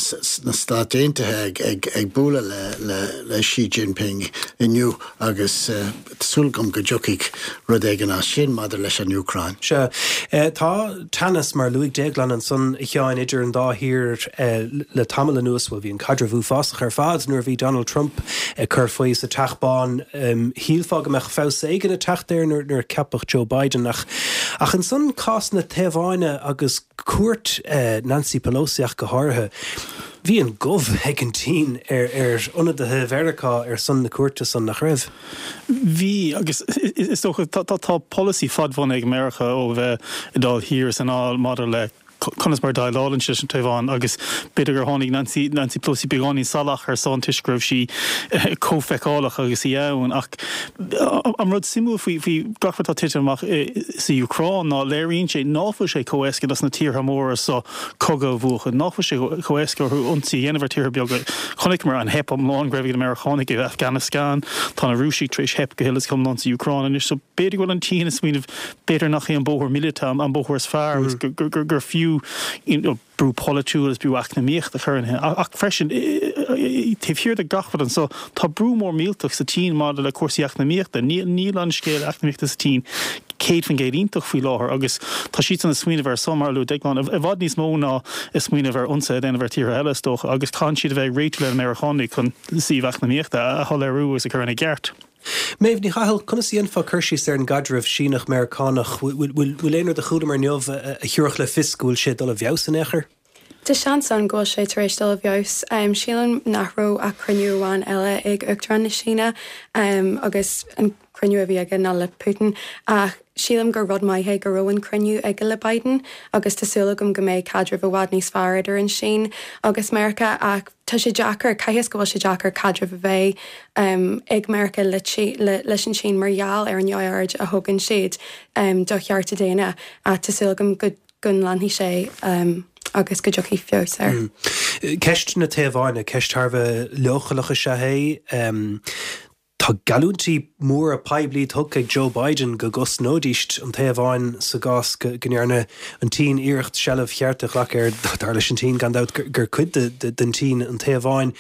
Stát Aontaithe ag bualadh le Xi Jinping inniu agus tá súil agam go dtiocfaidh rud éigin as sin maidir leis an Úcráin. Sea. Tá teannas, mar a luaigh Déaglán ansan, a Sheáin, idir an dá thír le tamall anuas. Bhuel, bhí an caidreamh uafásach ar fad nuair a bhí Donald Trump ag cur faoi sa Teach Bán. Shílfeá go mbeadh feabhas éigin ag teacht air nuair a ceapadh Joe Biden ach ach ansan cás na Téaváine agus cuairt Nancy Pelosi ach go háirithe, bhí an gomh ag an tSín ar ar ionadaithe Mheiriceá ar son na cuairte san, nach raibh? Bhí, agus is dócha tá polasaí fadbhunaithe ag Meiriceá ó bheith ag dul thiar is anall maidir le. conas mar a dhéileálann siad leis an Téaváin agus b'fhéidir gur tháinig Nancy Nancy Pelosi beagáinín salach ar son toisc go raibh sí chomh feiceálach agus í ann ach an rud suimiúil faoi faoi gach rud atá tite amach sa Úcráin ná léiríonn sé ná fuil sé chomh éasca dos na tíortha móra so cogadh a bhuachan, ná fuil sé chomh éasca orthu ionsaí a dhéanamh ar tíortha beaga. Chonaiceamar an theip iomlán go raibh ag na Meiriceánaigh i Afghanistan, tá na Rúisigh tar éis theip go huile is go hiomlán sa Úcráin anois so b'fhéidir go bhfuil an tSín ag smaoineamh b'fhéidir nach é an bóthar míleata an bóthar is fearr agus gur fiú brú polaitiúil agus brú eacnamaíocht a chur ina ach freisin taobh thiar de gach rud anso tá brú mór millteach sa tSín maidir le cúrsaí eacnamaíochta. Níl an scéal eacnamaíochta sa tSín 100% iontach faoi láthair agus tá siadsan ag smaoineamh ar son, mar a luaigh Déaglán, i bhfad níos mó ná ag smaoineamh ar ionsaithe a dhéanamh ar tíortha eile is dócha agus caitheann siad a bheith ag réitiú le na Meiriceánaigh chun suíomh eacnamaíochta a shoiléiriú agus a chur ina gceart. Méabh Ní Chathail, conas a dhéanfá cur síos ar an gcaidreamh Síneach-Meiriceánach? Bhfuil aon rud a chualamar inniu a thabharfadh le fios go bhfuil sé ag dul i bhfeabhas in aon chor? Tá seans ann go bhfuil sé tar éis dul i bhfeabhas. Sílim nach raibh ach cruinniú amháin eile ag Uachtarán na Síne agus an cruinniú a bhí aige ná le Putin ach sílim gur rud maith é go raibh an cruinniú aige le Biden agus tá súil agam go mbeidh caidreamh i bhfad níos fearr idir an Sín agus Meiriceá ach tá sé deacair, caithfidh go bhfuil sé deacair caidreamh a bheith ag Meiriceá leis an tSín mar gheall ar an neamhaird a thugann siad do chearta daonna ach tá súil agam go go leanfaidh sé agus go dtiocfaidh feabhas air. Ceist na Téaváine, ceist thar a bheith leochaileach is ea é. Tá geallúintí móra poiblí tugtha ag Joe Biden go gcosnóidíst an Téaváin sa gcás go ndearna an tSín iarracht seilbh cheart a ghlacadh air, dar leis an tSín gan dabht gur cuid den tSín an Téaváin.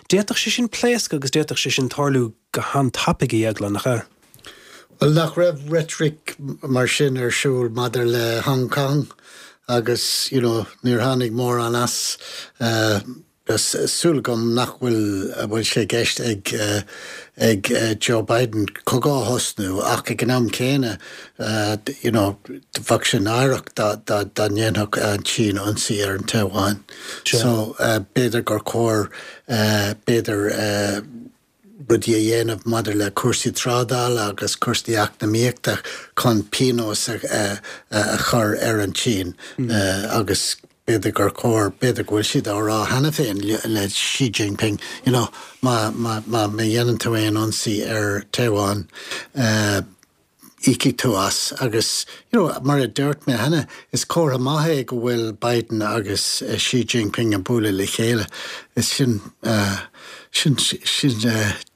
D'fhéadfadh sé sin pléascadh agus d'fhéadfadh sé sin tarlú go han-tapaidh, a Dhéagláin, nach ea? Bhuel, nach raibh reitric mar sin ar siúl maidir le Hong Kong agus, you know, níor tháinig mórán as. Tá súil agam nach bhfuil bhfuil sé i gceist ag ag Joe Biden cogadh a thosnú ach ag an am céanna you know bheadh sé náireach dá dá dá ndéanfadh an tSín ionsaí ar an Téaváin. So b'fhéidir gur chóir b'fhéidir rudaí a dhéanamh maidir le cúrsaí trádála agus cúrsaí eacnamaíochta chun pionós a chur ar an tSín agus b'fhéidir gur chóir, b'fhéidir go bhfuil siad á rá cheana féin le Xi Jinping, you know, má, má, má dhéanann tú aon ionsaí ar Taiwan, íocfaidh tú as agus you know mar a dúirt mé cheana, is comhartha maith é go bhfuil Biden agus Xi Jinping ag bualadh le chéile. Is sin sin sin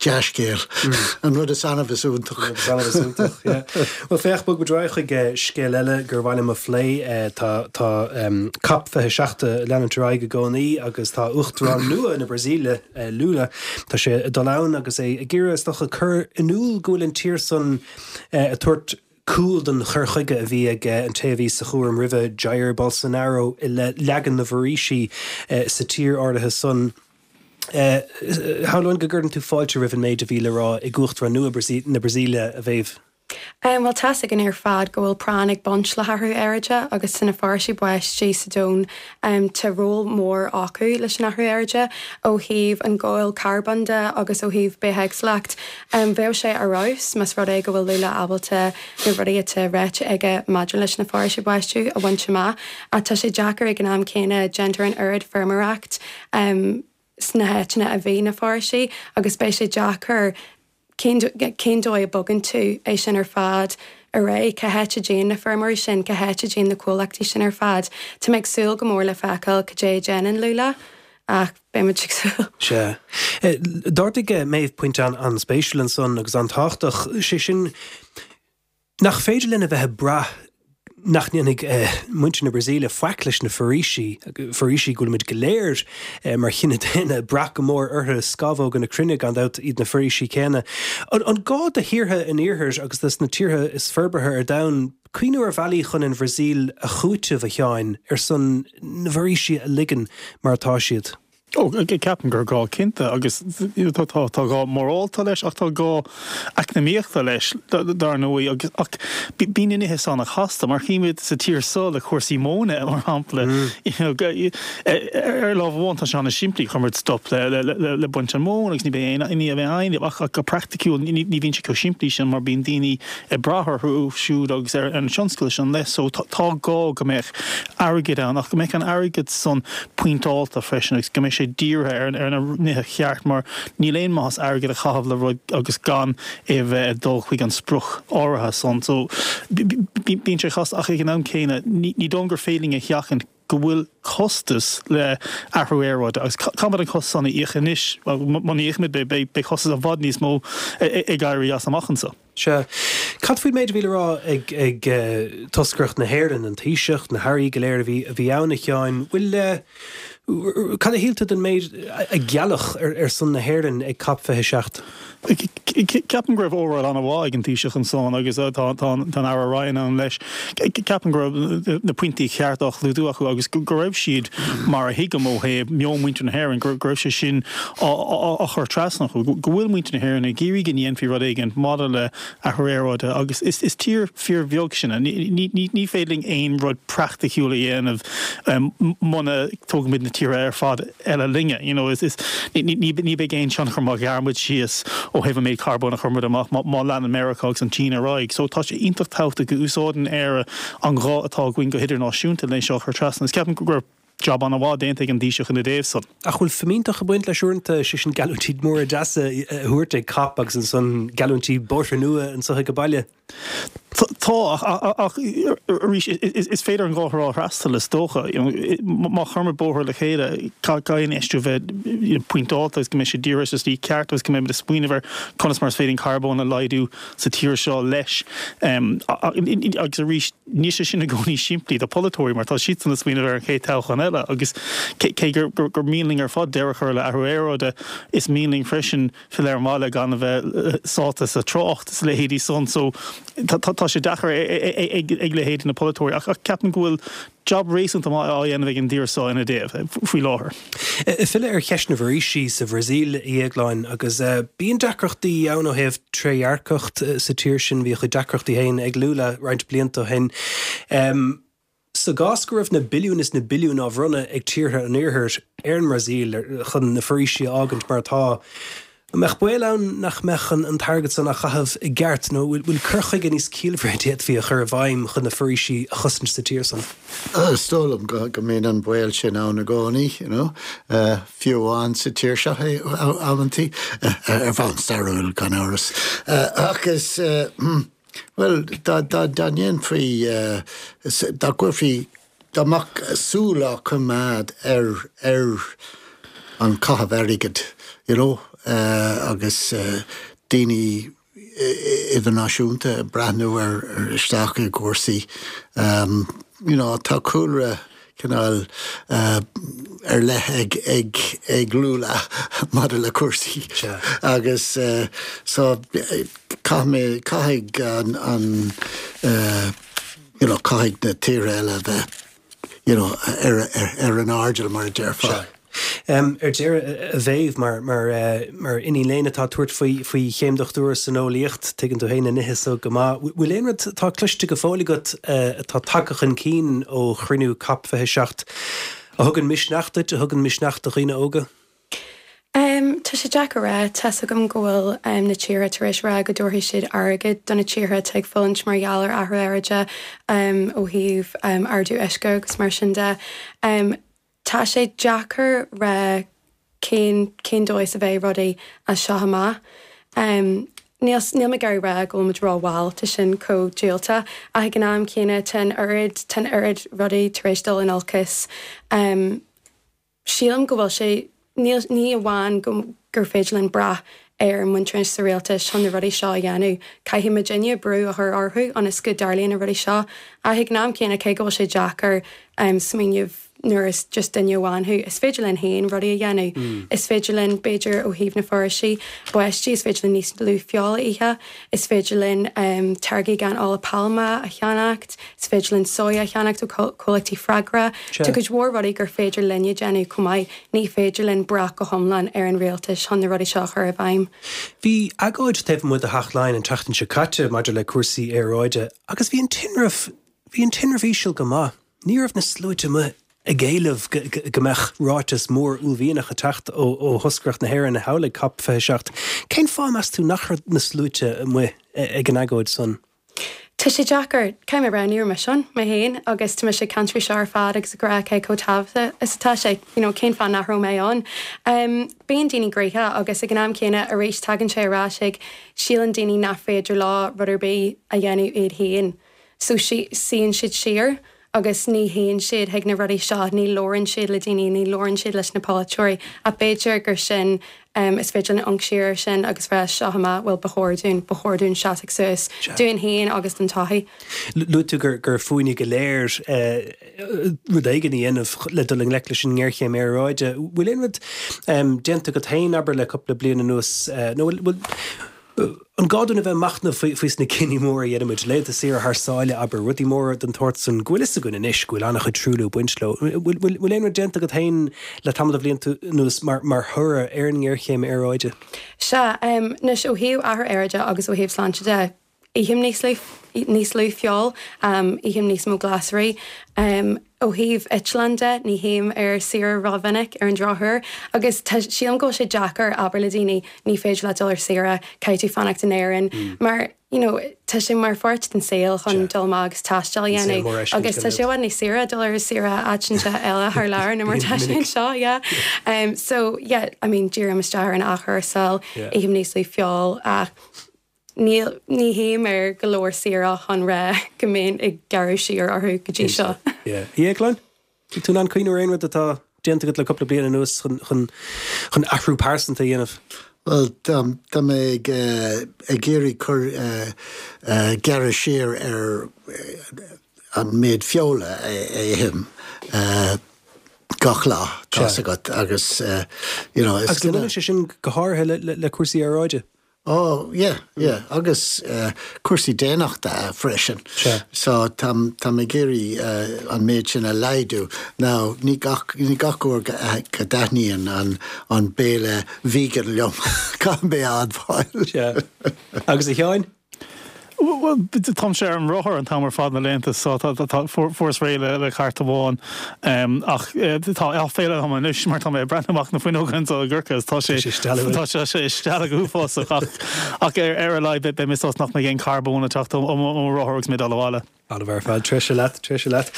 dea-scéal. An rud is annamh is iontach. An rud is annamh is iontach, yeah. Bhuel féach, bog muid ar aghaidh chuig scéal eile gur mhaith liom a phlé. Tá tá COP 27 ag leanúint ar aghaidh i gcónaí agus tá Uachtarán nua na Brasaíle, Lula. Tá sé ag dul ann agus é ag iarraidh, is dócha, cur in iúl go bhfuil an tír san ag tabhairt cúl don chur chuige a bhí ag an té a bhí sa chúram roimhe, Jair Bolsonaro, i leith leagan na bhforaoisí sa tír áirithe san. Shamhlóinn go gcuireann tú fáilte roimh an méid a bhí le rá ag Uachtarán nua na Brasaíle, a Mhéabh. Bhuel, tá's againn ar fad go bhfuil práinn ag baint le hathrú aeráide agus tá na foraoisí báistí sa domhan, tá ról mór acu leis an athrú aeráide ó thaobh an gabháil carbóin de agus ó thaobh bithéagsúlacht. Bheadh sé ar fheabhas más rud é go bhfuil Lula ábalta na rudaí atá ráite aige maidir leis na foraoisí báistí a bhaint amach ach tá sé deacair ag an am céanna, déantar an oiread feirmeoireacht sna háiteanna a bhí na foraoisí agus beidh sé deacair Cén cén dóigh a bogann tú é sin ar fad ar aghaidh? Cá háit a dtéann na feirmeoirí sin? Cá háit a dtéann na comhlachtaí sin ar fad? Tá mé ag súil go mór le feiceáil cad é a dhéanann Lula ach beidh muid ag súil. Sea. D'ardaigh Méabh pointe an-spéisiúil ansan agus an-tábhachtach, sé sin, Nach féidir linn a bheith ag brath nach ndéanfaidh muintir na Brasaíle faic leis na foraoisí, foraoisí go bhfuilimid go léir mar chine daonna ag brath go mór orthu, scamhóga na cruinne gan dabht iad na foraoisí céanna. An gá do thíortha an iarthair agus dos na tíortha is forbartha ar domhan cuimhniú ar bhealaí chun an Bhrasaíl a chúiteamh, a Sheáin, ar son na bhforaoisí a ligean mar atá siad? Ó, ceapaim gur gá cinnte agus tá gá morálta leis ach tá gá eacnamaíochta leis dar ndóigh agus ach bíonn na nithe san an-chasta mar chímid sa tír seo le cúrsaí móna mar shampla ar lámh amháin tá sé an-simplí chuir muid stop le baint an mhóin agus ní bheidh aon ní bheidh aon ach go praiticiúil ní bhíonn sé chomh simplí sin mar bíonn daoine ag brath orthu siúd agus ar an tionscal sin leis so tá gá go mbeadh airgead ann ach go mbeadh an airgead san pointeálta freisin agus go mbeidh sé dírithe ar na nithe cheart mar níl aon maitheas airgead a chaitheamh le rud agus gan é a bheith ag dul chuig an sprioc áirithe san. So bíonn sé casta ach ag an am céanna ní dóigh liom gur féidir linn a sheachaint go bhfuil costas le athrú aeráide agus caithfimid an costas san a íoc anois, muna íocaimid beidh costas i bhfad níos mó ag éirí as amach anseo. Sea. Cad faoin méid a bhí le rá ag ag toscaireacht na hÉireann, an Taoiseach, na hairí go léir a bhí a bhí ann, a Sheáin? Bhfuil, cad a shíl tú den méid a gealladh ar ar son na hÉireann ag Cop 27? Ceapaim go raibh óráid an-mhaith ag an Taoiseach ansan agus tá tá an Aire Ryan ann leis. Ceapaim go raibh na pointí cearta á chlúdú acu agus go raibh siad, mar a thuigim ó thaobh meon mhuintir na hÉireann, go raibh sé sin á chur trasna acu, go bhfuil muintir na hÉireann ag iarraidh go ndéanfaí rud éigin maidir le athrú aeráide agus is tír fíorbheag sinne. Ní féidir linn aon rud praiticiúil a dhéanamh muna dtógaimid na tíortha ar fad eile linne. You know, ní bheidh aon tionchar má ghearr muid síos ó thaobh an méid carbóin a chuir muid amach má leanann Meiriceá agus an tSín ar aghaidh. So tá sé iontach tábhachtach go úsáideann Éire an ghuth atá againn go hidirnáisiúnta le seo a chur trasna. Is ceapaim go raibh jab an-mhaith déanta ag an Taoiseach ina dtaobh san. Ach bhfuil fimínteacht ag baint leis uaireanta, sé sin geallúintí móra deasa a thabhairt ag Cop agus ansan geallúintí bóithre nua anso ag baile? Tá, ach arís, is féidir an dá thrá a fhreastal, is dócha. Má chuirimid bóthar le chéile, caithfidh an infheistiú bheith pointeálta agus go mbeidh sé dírithe sa tslí ceart agus go mbeimid ag smaoineamh ar conas mar is féidir an carbón a laghdú sa tír seo leis. Agus arís, níl sé sin i gcónaí simplí do pholaiteoirí mar tá siadsan ag smaoineamh ar an chéad toghchán eile agus cé gur mian linn ar fad deireadh a chur le athrú aeráide, is mian linn freisin filleadh ar an mbaile gan a bheith sáite sa trácht is a leithéidí san so tá sé deacair ag leithéidí na polaiteoirí ach ceapaim go bhfuil jab réasúnta maith á dhéanamh ag an dtír seo ina dtaobh faoi láthair. Ag filleadh ar cheist na bhforaoisí sa Bhrasaíl, a Dhéagláin, agus bíonn deacrachtaí ann ó thaobh trédhearcacht sa tír sin, bhí a chuid deacrachtaí féin ag Lula roinnt blianta ó shin. Sa gcás go raibh na billiúin is na billiúin á bhronnadh ag tíortha an Iarthair ar an mBrasaíl chun na foraoisí a fhágaint mar atá, an mbeadh baol ann nach mbeadh an t-airgead san á chaitheamh i gceart nó bhfuil cur chuige níos ciallmhaire a d'fhéadfaí a chur i bhfeidhm chun na foraoisí a chosaint sa tír san? Is dóigh liom go mbíonn an baol sin ann i gcónaí, you know, fiú amháin sa tír seo amantaí, ar bhonn stairiúil gan amhras. Ach is. Bhuel, dá ndéanfaí, dá gcuirfí, dá mbeadh súil á coimeád ar, ar an caitheamh airgid, you know, agus daoine idirnáisiúnta ag breathnú ar, isteach i gcúrsaí, you know, tá cúlra cineál ar leith ag ag ag Lula maidir le cúrsaí agus so caithfidh mé caithfidh an an you know caithfidh na tíortha eile a bheith you know ar ar ar an airdeall mar a déarfá. Ar deireadh, a Mhéabh, mar mar iníon léinn atá ag tabhairt faoi faoi chéim dochtúra san eolaíocht, tuigeann tú féin na nithe so go maith. Bhfuil aon rud atá cloiste go fóill agat atá tagtha chun cinn ó chruinniú Cop 27 a thugann misneach duit, a thugann misneach do dhaoine óga? Tá sé deacair a rá. Tá's agam go bhfuil na tíortha tar éis rá go dtabharfaidh siad airgead do na tíortha atá ag fulaingt mar gheall ar athrú aeráide ó thaobh ardú uisce agus mar sin de. Tá sé deacair rá cén cén dóigh is a bheidh rudaí as seo amach. Níl níl mé ag iarraidh rá go bhfuil muid ró-mhall, tá sin chomh diúltach, ach ag an am céanna tá an oiread tá an oiread rudaí tar éis dul in olcas. Sílim go bhfuil sé níl ní amháin go gur féidir linn brath ar muintir sa rialtas chun na rudaí seo a dhéanamh, caithfidh muidinne brú a chur orthu ionas go dtarlaíonn na rudaí seo. Ach ag an am céanna cé go bhfuil sé deacair smaoineamh. nuair is just duine amháin thú. Is féidir linn féin rudaí a dhéanamh. Is féidir linn, b'fhéidir, ó thaobh na foraoisí, báistí, is féidir linn níos lú feola a ithe, is féidir linn táirgí gan ola pailme a cheannacht, is féidir linn soya a cheannacht ó chomhlachtaí freagra. Tá cuid mhór rudaí gur féidir linne déanamh chomh maith. Ní féidir linn brath go hiomlán ar an rialtas chun na rudaí seo a chur i bhfeidhm. Bhí agóid taobh amuigh de Theach Laighean an tseachtain seo caite maidir le cúrsaí aeráide agus bhí an tinreamh, bhí an tinreamh íseal go maith. Ní raibh na sluaite amuigh ag éileamh go mbeadh ráiteas mór uaillmhianach ag teacht ó thoscaireacht na hÉireann thall ag Cop 27. Cén fáth, meas tú, nach raibh na sluaite amuigh ag an agóid san? Tá sé deacair. Caithfidh mé a rá, ní raibh mise ann, mé féin, agus tá mise ag caint faoi seo ar fad agus ag rá cé chomh tábhachtach is atá sé, you know, cén fáth nach raibh mé ann? Bíonn daoine gnoitheach agus ag an am céanna arís tagann sé ar ais ag síleann daoine nach féidir leo rud ar bith a dhéanamh iad féin. So suíonn siad siar agus ní théann siad chuig na rudaí seo, ní labhrann siad le daoine, ní labhrann siad leis na polaiteoirí. Ach b'fhéidir gur sin, is féidir linn amharc siar air sin agus rá seo amach, bhuel ba chóir dúinn, ba chóir dúinn seasamh suas, dúinn féin agus don tsochaí. Luaigh tú gur fúinne go léir rud éigin a dhéanamh le dul i ngleic leis an ngéarchéim aeráide. Bhfuil aon rud déanta agat féin, abair, le cúpla bliain anuas, nó bhfuil, An gá dúinn a bheith ag machnamh faoi sna cinní móra a dhéanaimid, laethanta saoire thar sáile, abair, rudaí móra den tsórt san, go bhfuil fhios againn anois go bhfuil an-chuid truailliú ag baint leo. Bhfuil aon rud déanta agat féin le tamall de bhlianta anuas mar thoradh ar an ngéarchéim aeráide? Sea, anois ó thaobh athrú aeráide agus ó thaobh sláinte de, ithim níos lú, níos lú feoil, ithim níos mó glasraí. Ó thaobh eitleán de, ní théim ar saoire rómhinic ar an drochuair agus tá, sílim go bhfuil sé deacair abair le daoine, ní féidir leat dul ar saoire, caithfidh tú fanacht in Éirinn mar you know tá sé mar pháirt den saol chun dul amach agus taisteal a dhéanamh agus tá sé i bhfad níos saoire dul ar saoire áiteanta eile thar lear ná mar tá sé anseo, yeah. So yeah, I mean dírím isteach ar an athchúrsáil, ithim níos lú feoil ach Níl, ní théim ar go leor saoire chun rá go mbeinn ag gearradh siar orthu go dtí seo. Yeah. A Dhéagláin? Tá tú in ann cuimhniú ar aon rud atá déanta agat le cúpla bliain anuas chun, chun, chun athrú pearsanta a dhéanamh? Bhuel, tá, tá mé ag, ag iarraidh cur, gearradh siar ar an méid feola a ithim gach lá, tá's agat, agus, you know, is. Agus an mbaineann sé sin go háirithe le, le, le cúrsaí aeráide? Oh yeah, yeah, agus cúrsaí daonnachta freisin. Sea. So táim, táim ag iarraidh an méid sin a laghdú. Now, ní gach, ní gach uair go, go dtaitníonn an, an béile vegan liom, caithfidh mé a admháil. Sea. Agus a Sheáin? Bhuel, táimse ar an rothar an t-am ar fad na laethanta so tá, tá, fuaireas réidh le, le cairt amháin. Ach tá aiféala orm anois mar tá mé ag breathnú amach na fuinneoga anseo i gCorcaigh agus tá sé, tá sé ag stealladh go huafásach ach, ach ar, ar a laghad beidh mé sásta nach mbeidh aon carbón ag teacht ó, ó mo rothar agus mé ag dul abhaile. An-mhaith ar fad, treise leat, treise leat.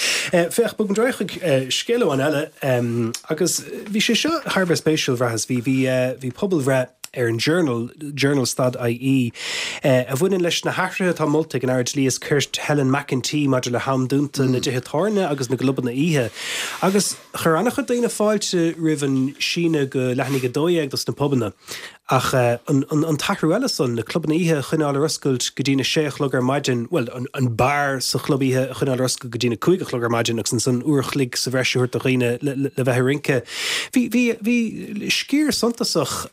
Féach, bogfaimid ar aghaidh chuig scéal amháin eile agus bhí sé seo thar a bheith spéisiúil, bhraitheas. Bhí, bhí, bhí pobalbhreith ar an Journal, Journal stad IE, a bhaineann leis na hathruithe atá molta ag an Aire Dlí is Cirt Helen McEntee maidir le ham dúnta na dtithe tábhairne agus na gclubanna oíche. Agus chuir an-chuid daoine fáilte roimh an síneadh go leath i ndiaidh 12 dos na pubanna. Ach an an t-athrú eile san, na clubanna oíche a choinneáil ar oscailt go dtína sé a chlog ar maidin, bhuel, an beár sa chlub oíche a choinneáil ar oscailt go dtína 5 a chlog ar maidin agus ansan uair a chloig sa bhreis a thabhairt do dhaoine le bheith ag rince. Bhí, bhí, bhí sciar suntasach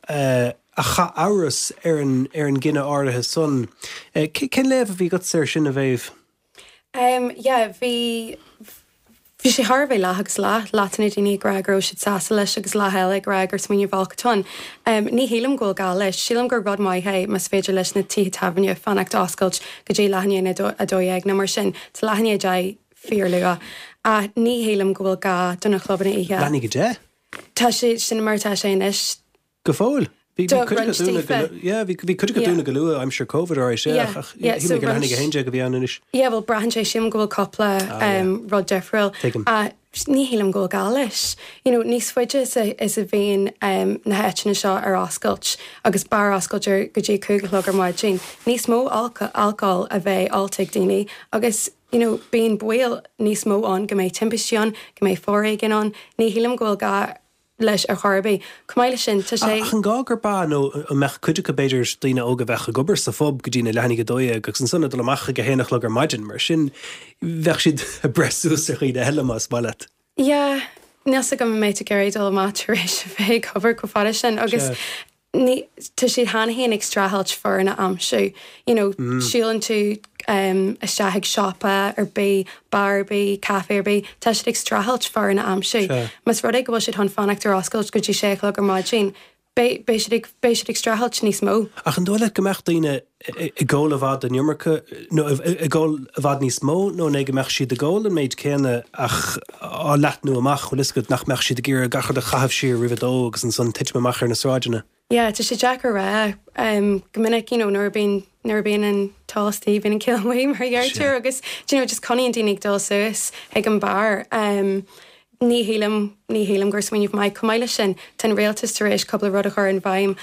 a chaith amhras ar an, ar an gcinneadh áirithe san. Cén léamh a bhí agatsa air sin, a Mhéabh? Um, yeah, bhí, bhí sé thar a bheith leath agus leath, leath de na daoine ag rá go raibh siad sásta leis agus leath eile ag rá gur smaoineamh olc atá ann. Um, ní shílim go bhfuil gá leis. Sílim gur rud maith é más féidir leis na tithe tábhairne fanacht oscailt go dtí leath i ndiaidh a 12 nó mar sin. Tá leath i ndiaidh 10 fíorluath. Ach ní shílim go bhfuil gá do na clubanna oíche. Leath i ndiaidh 10? Tá sé, sin mar atá sé anois. Go fóill? Bhí Do cuid acu roinnt dúnadh go daofa. lu- yeah, bhí bhí cuid acu Yeah. dúnadh go luath aimsir Covid alright, yeah, Yeah, ach ach yeah, shíl so mé gur leath i ndiaidh roinnt- 11 a bhí ann anois. Yeah, bhuel braitheann sé, sílim go bhfuil cúpla Ah, yeah. um, rud difriúil. Tuigim. Ach ní shílim go bhfuil gá leis. You know, níos faide is a, is a bhíonn um, na háiteanna seo ar oscailt agus beár oscailt ar go dtí 5 a chlog ar maidin, níos mó alc- alcól a bheidh ólta ag daoine agus you know, bíonn baol níos mó ann go mbeidh timpistí ann, go mbeidh foréigean ann. Ní shílim go bhfuil gá leis ar chor ar bith. Chomh maith leis sin, tá sé. Ach an gá gurb ea, nó an mbeadh cuid acu, b'fhéidir, daoine óga a bheadh ag obair sa phub go dtí na leath i ndiaidh 12 agus ansan ag dul amach ag a haon a chlog ar maidin, mar sin bheadh siad ag breith suas ar dhaoine eile más maith leat. Yeah. Níl 's agam an mbeidh tú ag iarraidh dul amach tar éis a bheith ag obair chomh fada sin agus ní, tá siad cheana féin ag streachailt foireann a aimsiú. You know, siúlann tú isteach ag siopa ar bith, beár ar bith, caife ar bith, tá siad ag streachailt foireann a aimsiú. Más rud é go bhfuil siad chun fanacht ar oscailt go dtí sé a chlog ar maidin, Beidh, beidh siad ag, beidh siad ag streachailt níos mó. Ach an dóigh leat go mbeadh daoine ag ól i bhfad an iomarca, nó ag ól i bhfad níos mó, nó an é go mbeadh siad ag ól an méid céanna ach á leathnú amach, bhfuil fhios agat, nach mbeadh siad ag iarraidh gach rud a chaitheamh siar roimh a dó agus ansan titim amach ar na sráideanna? Yeah, tá sé deacair a rá. Go minic, you know, nuair a bíonn, nuair a bíonn an t-ól istigh, bíonn an ciall amuigh, mar a deirtear, agus, do you know, just coinníonn daoine ag dul suas chuig an beár. Ní shílim, ní shílim gur smaoineamh maith. Chomh maith leis sin, tá an rialtas tar éis cúpla rud a chur in bhfeidhm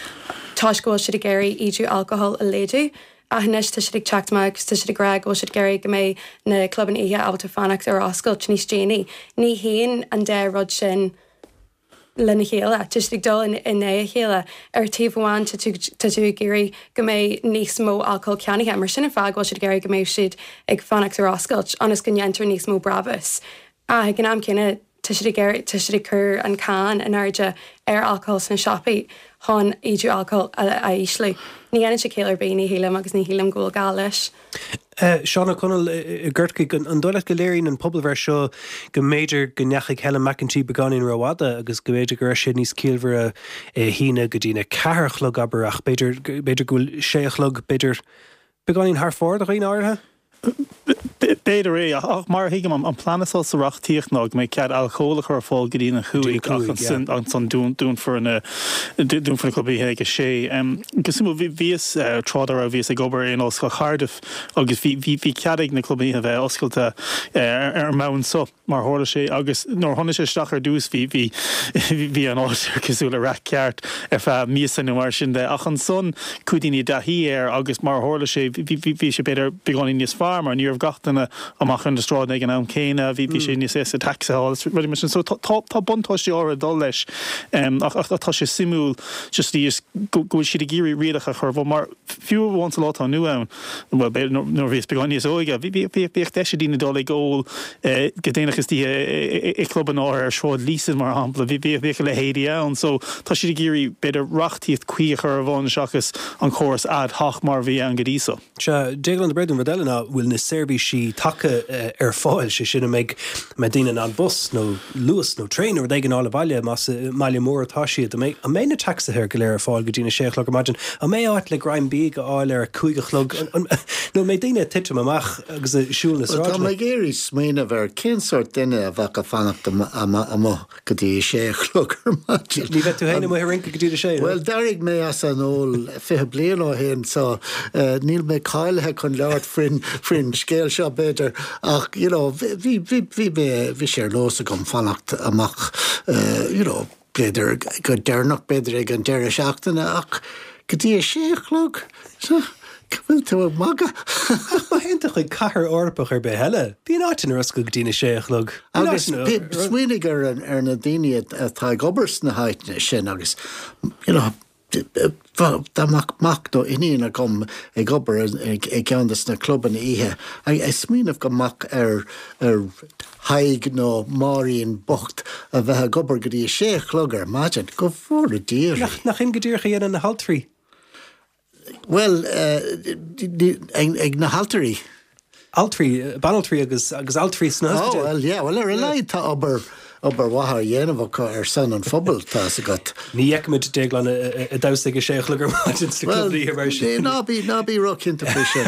toisc go bhfuil siad ag iarraidh ídiú alcohol a laghdú. Ach anois tá siad ag teacht amach agus tá siad ag rá go bhfuil siad ag iarraidh go mbeidh na clubanna oíche ábalta fanacht ar oscailt níos déanaí. Ní théann an dá rud sin lena chéile. Tá siad ag dul in aghaidh a chéile. Ar taobh amháin tá tú tá tú ag iarraidh go mbeidh níos mó alcóil ceannaithe, mar sin an fáth go bhfuil siad ag iarraidh go mbeidh siad ag fanacht ar oscailt, ionas go ndéantar níos mó brabús. Ach ag an am céanna, tá siad ag iarraidh, tá siad ag cur an cáin in airde ar alcól sna siopaí chun ídiú alcóil a ísliú. Ní dhéanann sé ciall ar bith, ní shílim, agus ní shílim go bhfuil gá leis. Seán Ó Conaill i gCorcaigh, an dóigh leat go léiríonn an pobalbhreith seo go mb'fhéidir go ndeachaigh Helen McEntee beagáinín rófhada agus go mb'fhéidir go raibh sé níos ciallmhaire é a shíneadh go dtína ceathair a chlog, abair, ach b'fhéidir, b'fhéidir go bhfuil sé a chlog, b'fhéidir, beagáinín thar fóir do dhaoine áirithe? B'fhéidir é, ach mar a thuigim, an plean atá sa reachtaíocht ná go mbeidh cead alcól a chur ar fáil go dtí an 5 ach ansan dúnfar na dúnfar na clubanna oíche ag a sé. Go suimiúil, bhíos, tráth dá raibh, bhíos ag obair in Ollscoil Cardiff agus bhí bhí cead ag na clubanna oíche a bheith oscailte ar an mbonn so. mar a tharla sé, agus nuair a tháinig sé isteach ar dtús bhí, bhí, bhí an áit cosúil le raic ceart ar feadh míosa nó mar sin de, ach ansan chuaigh daoine i dtaithí air agus mar a tharla sé bhí, bhí, bhí sé b'fhéidir beagáinín níos fearr mar ní raibh gach duine amach ar na sráideanna ag an am céanna, bhí, bhí sé níos éasca tacsaithe a fháil is rudaí mar sin. So tá, tá, tá buntáistí áirithe ag dul leis ach, ach tá sé suimiúil just, just go, go bhfuil siad ag iarraidh rialacha a chur i mar fiú amháin sa lá atá inniu ann, bhuel, b'fhéidir nuair a bhíos beagán níos óige, bhíodh deis ag daoine dul ag ól go déanach istoíche i gclubanna áirithe ar Shráid Leeson, mar shampla. Bhíodh a leithéidí ann. So, tá siad ag iarraidh, b'fhéidir, reachtaíocht cuí a chur i bhfeidhm seachas an córas ad hoc mar a bhí ann go dtí so. Sea, Déaglán de Bréadún, rud eile ná bhfuil na seirbhísí taca ar fáil, sé sin an mbeidh, an mbeidh daoine in ann bus nó Luas nó traein nó rud éigin a fháil abhaile más i mbaile mór atá siad. An mbeidh, an mbeidh na tacsaithe go léir ar fáil go dtí na sé a chlog ar maidin? An mbeidh áit le greim bídh a fháil ar a 5 a chlog? Nó an mbeidh daoine ag titim amach agus ag siúl na Bhuel, tá sráideanna? mé ag iarraidh smaoineamh ar cén sórt duine a bheadh ag fanacht amuigh go dtí a sé a chlog ar maidin. Ní bheidh tú féin amuigh ag rince go dtí a sé, nó? Bhuel, d'éirigh mé as an ól 20 bliain ó shin so níl mé cáilithe chun labhairt faoin, faoin scéal seo b'fhéidir ach you know bhí, bhí, bhí mé, bhí sé ar nós agam fanacht amach you know b'fhéidir go deireanach, b'fhéidir ag an deireadh seachtaine ach go dtí a sé a chlog? Go bhfuil tú ag magadh? Ach má théann tú chuig cathair Eorpach ar bith eile, bíonn áiteanna ar oscailt go dtí na sé a chlog. Bíonn Agus áiteanna. smaoinigh ar ar na daoine atá ag obair sna háiteanna sin agus you know dá mbeadh mac nó iníon agam ag obair i gceann de na clubanna oíche, ag smaoineamh go mbeadh ar ar Thadhg nó Máirín bocht a bheith ag obair go dtí a sé a chlog ar maidin, go bhfóire Dia oraibh. Nach in go díreach a dhéanann na haltraí? Bhuel, ag na haltraí. Altraí, banaltraí agus agus altraí sna hospidéil. Oh, well, yeah, well ar a laghad tá obair, obair mhaith á dhéanamh acu ar son an phobail, tá 'fhios agat. Ní fheicimid Déaglán ag damhsa ag a sé a chlog ar maidin sna clubanna oíche mar sin. Ná bí, ná bí róchinnte faoi sin.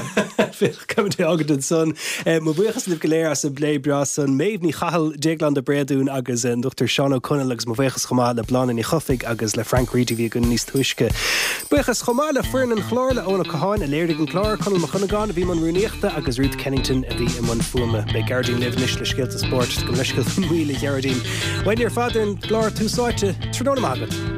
Féach, caithfimid é a fhágaint ansan. Mo bhuíochas libh go léir as an bplé breá san. Méabh Ní Chathail, Déaglán de Bréadún agus an Dr Seán Ó Conaill agus mo bhuíochas chomh maith le Bláthnaid Ní Chofaigh agus le Frank Reidy a bhí againn níos túisce. Buíochas chomh maith le foireann an chláir, le Eoin Ó Catháin a léirigh an clár, Conall Mac Cuinneagáin a bhí i mbun rúnaíochta agus Ruth Kennington a bhí i mbun fuaime. Beidh Gearóidín libh anois le scéalta spóirt. Gabh mo leithscéal faoin mhoill, a Ghearóidín. Uainne ar fad ar an gclár Tús Áite. Tráthnóna maith agat.